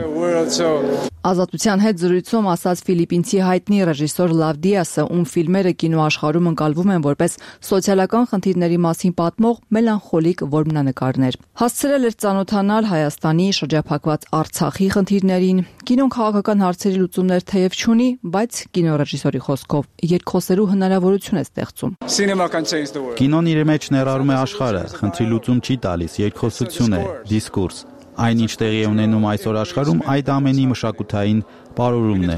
Ազատության հետ զրույցում ասաց ֆիլիպինցի հայտնի ռեժիսոր Լավ Դիասը, ում ֆիլմերը կինոաշխարհում ընկալվում են որպես սոցիալական խնդիրների մասին պատմող մելանխոլիկ որմնանկարներ։ Հասցրել էր ծանոթանալ Հայաստանի, շրջափակված Արցախի խնդիրներին։ Կինոն քաղաքական հարցերի լուծումներ թեև չունի, բայց կինոռեժիսորի խոսքով երկխոսելու հնարավորություն է ստեղծում։ Կինոն իր մեջ ներառում է աշխարհը, խնդրի լուծում չի տալիս, երկխոսություն է, դիսկուրս։ Այն ինչ տեղի է ունենում այսօր աշխարհում, այդ ամենի մշակութային պարուրումն է։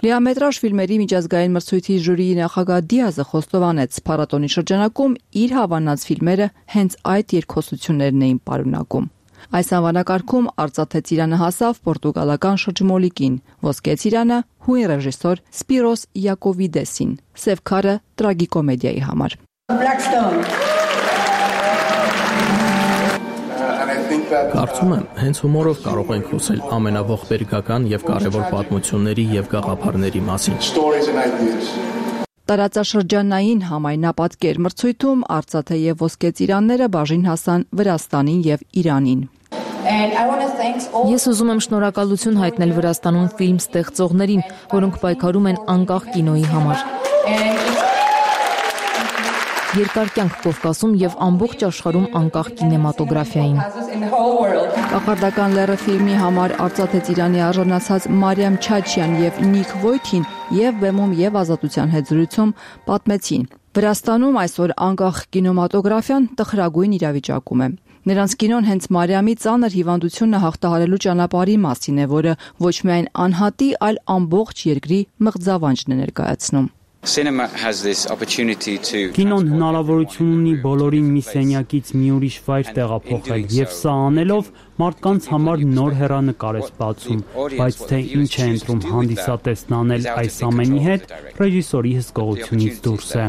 Լիամետրաժ ֆիլմերի միջազգային մրցույթի ժյուրիի նախագահ Դիազը խոստովանեց, փառատոնի շրջանակում իր հավանած ֆիլմերը հենց այդ երկխոսություններն էին պարունակում։ Այս անվանակարգում արծաթե ծիրանը հասավ պորտուգալական շրջմոլիկին, ոսկե ծիրանը հույն ռեժիսոր Սպիրոս Յակովիդեսին, սև քարը տրագիկոմեդիայի համար։ Կարծում եմ, հենց հումորով կարող ենք խոսել ամենաողբերգական եւ կարեւոր պատմությունների եւ գաղափարների մասին։ Տարածաշրջանային համայնապատկեր մրցույթում արծաթե եւ ոսկե ծիրանները բաժին հասան Վրաստանին եւ Իրանին։ Ես ուզում եմ շնորհակալություն հայտնել Վրաստանում ֆիլմ ստեղծողներին, որոնք պայքարում են անկախ կինոյի համար։ Երկար կյանք Կովկասում եւ ամբողջ աշխարհում անկախ կինեմատոգրաֆիային։ Կախարդական լեռը ֆիլմի համար արծաթե ծիրանի արժանացած Մարիամ Չաչյան եւ Նիկ Վոյթին եւ բեմում եւ ազատության հետ զրույցում պատմեցին. Վրաստանում այսօր անկախ կինեմատոգրաֆիան տխրագույն իրավիճակում է։ Նրանց կինոն հենց Մարիամի ծանր հիվանդությունը հաղթահարելու ճանապարհի մասին է, որը ոչ միայն անհատի, այլ ամբողջ երկրի մղձավանջն է ներկայացնում։ Կինոն հնարավորություն ունի բոլորին մի սենյակից մի ուրիշ վայր տեղափոխել, եւ սա անելով մարդկանց համար նոր հեռանկար է բացում, բայց թե ինչ է ընտրում հանդիսատեսն անել այս ամենի հետ, ռեժիսորի հսկողությունից դուրս է։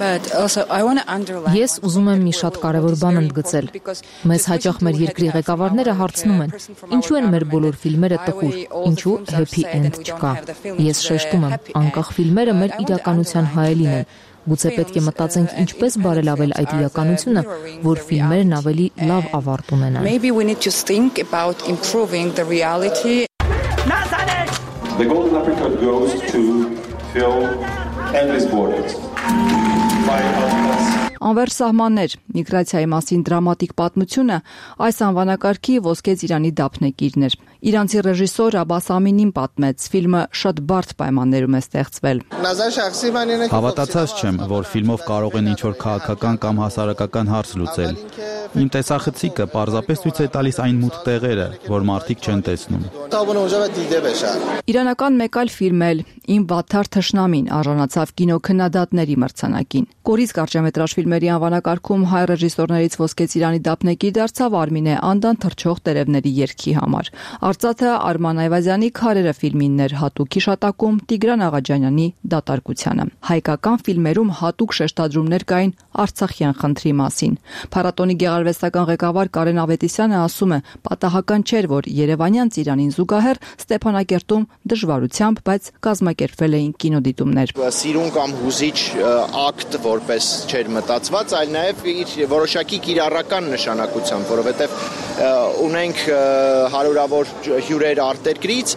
Ես ուզում եմ մի շատ կարևոր բան ընդգծել։ Մեզ հաճախ մեր երկրի ղեկավարները հարցնում են. ինչու են մեր բոլոր ֆիլմերը տխուր, ինչու happy end չկա։ Ես շեշտում եմ, անկախ ֆիլմերը մեր իրականության հայելին են։ Գուցե պետք է մտածենք ինչպես բարելավել այդ իրականությունը, որ ֆիլմերն ավելի լավ ավարտ ունենան։ The Golden Apricot goes to film Endless Borders. Անվերջ սահմաններ, միգրացիայի մասին դրամատիկ պատմությունը այս անվանակարգի ոսկե ծիրանի դափնեկիրն էր։ Իրանցի ռեժիսոր Աբաս Ամինին պատմեց, ֆիլմը շատ բարդ պայմաններում է ստեղծվել։ Հավատացած չեմ, որ ֆիլմով կարող են ինչ-որ քաղաքական կամ հասարակական հարց լուծել։ Իմ տեսախցիկը պարզապես ցույց է տալիս այն մութ տեղերը, որ մարդիկ չեն տեսնում։ Իրանական մեկ այլ ֆիլմ էլ Իմ վատթար թշնամին արժանացավ կինոքննադատների մրցանակին։ Կորից կարճամետրաժ ֆիլմերի անվանակարգում հայ ռեժիսորներից ոսկե ծիրանի դափնեկիր դարձավ Արմինե Անդան թռչող տերևների երգի համար։ Արծաթե Արման Այվազյանի Քարերը ֆիլմինն էր հատուկ հիշատակում Տիգրան Աղաջանյանի դատարկությանը։ Հայկական ֆիլմերում հատուկ շեշտադրումներ կային արցախյան խնդրի մասին։ Փառատոնի գեղարվեստական ղեկավար Կարեն Ավետիսյանը ասում է, պատահական չէր, որ Երևանյան ծիրանին զուգահեռ Ստեփանակերտում դժվարությամբ, բայց կազմակերպվել էին կինոդիտումներ։ Սիրուն կամ հուզիչ ակտ որպես չէր մտածված, այլ նաև իր որոշակի կիրառական նշանակությամբ, որովհետև ունենք հարյուրավոր հյուրեր արտերկրից,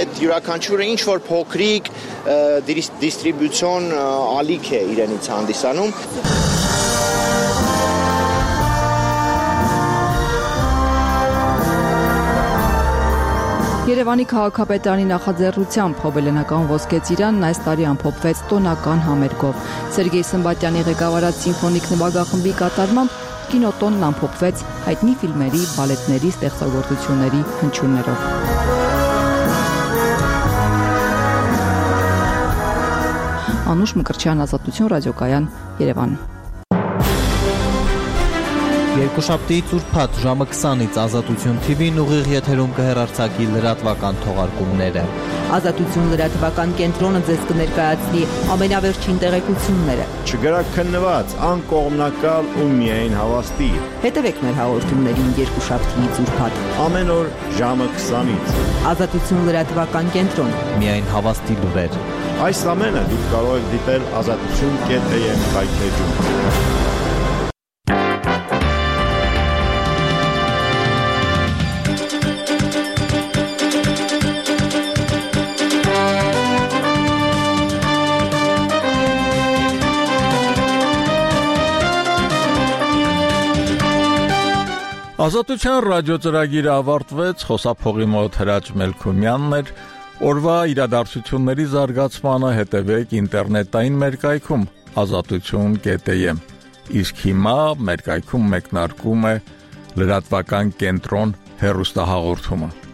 այդ յուրաքանչյուրը ինչ որ փոքրիկ դիստրիբյուցիոն ալիք է իրենից հանդիսանում։ Երևանի քաղաքապետարանի նախաձեռնությամբ Հոբելենական ոսկե ծիրանն այս տարի ամփոփվեց տոնական համերգով։ Սերգեյ Սմբատյանի ղեկավարած սիմֆոնիկ նվագախմբի կատարմամբ կինոտոնն ամփոփվեց հայտնի ֆիլմերի, բալետների ստեղծագործությունների հնչյուններով։ Անուշ Մկրտչյան, Ազատություն, ռադիոկայան, Երևան։ Երկուշաբթի ծուրփաթ ժամը 20-ից Ազատություն TV-ն ուղիղ եթերում կհեռարձակի լրատվական թողարկումները։ Ազատություն լրատվական կենտրոնը ձեզ կներկայացնի ամենավերջին տեղեկությունները։ Չգրակ քննված, անկողմնակալ ու միայն հավաստի։ Հետևեք մեր հաղորդումներին երկուշաբթի ծուրփաթ։ Ամեն օր ժամը 20-ից։ Ազատություն լրատվական կենտրոն։ Միայն հավաստի լուրեր։ Այս ամենը դուք կարող եք դիտել azatutun.am հայթեջում։ Ազատության ռադիոծրագիրը ավարտվեց, խոսափողի մոտ Հրաչ Մելքումյանն էր, օրվա իրադարձությունների զարգացմանը հետևեք ինտերնետային մեր կայքում azatutun.am, իսկ հիմա մեր կայքում մեկնարկում է լրատվական կենտրոն հեռուստահաղորդումը։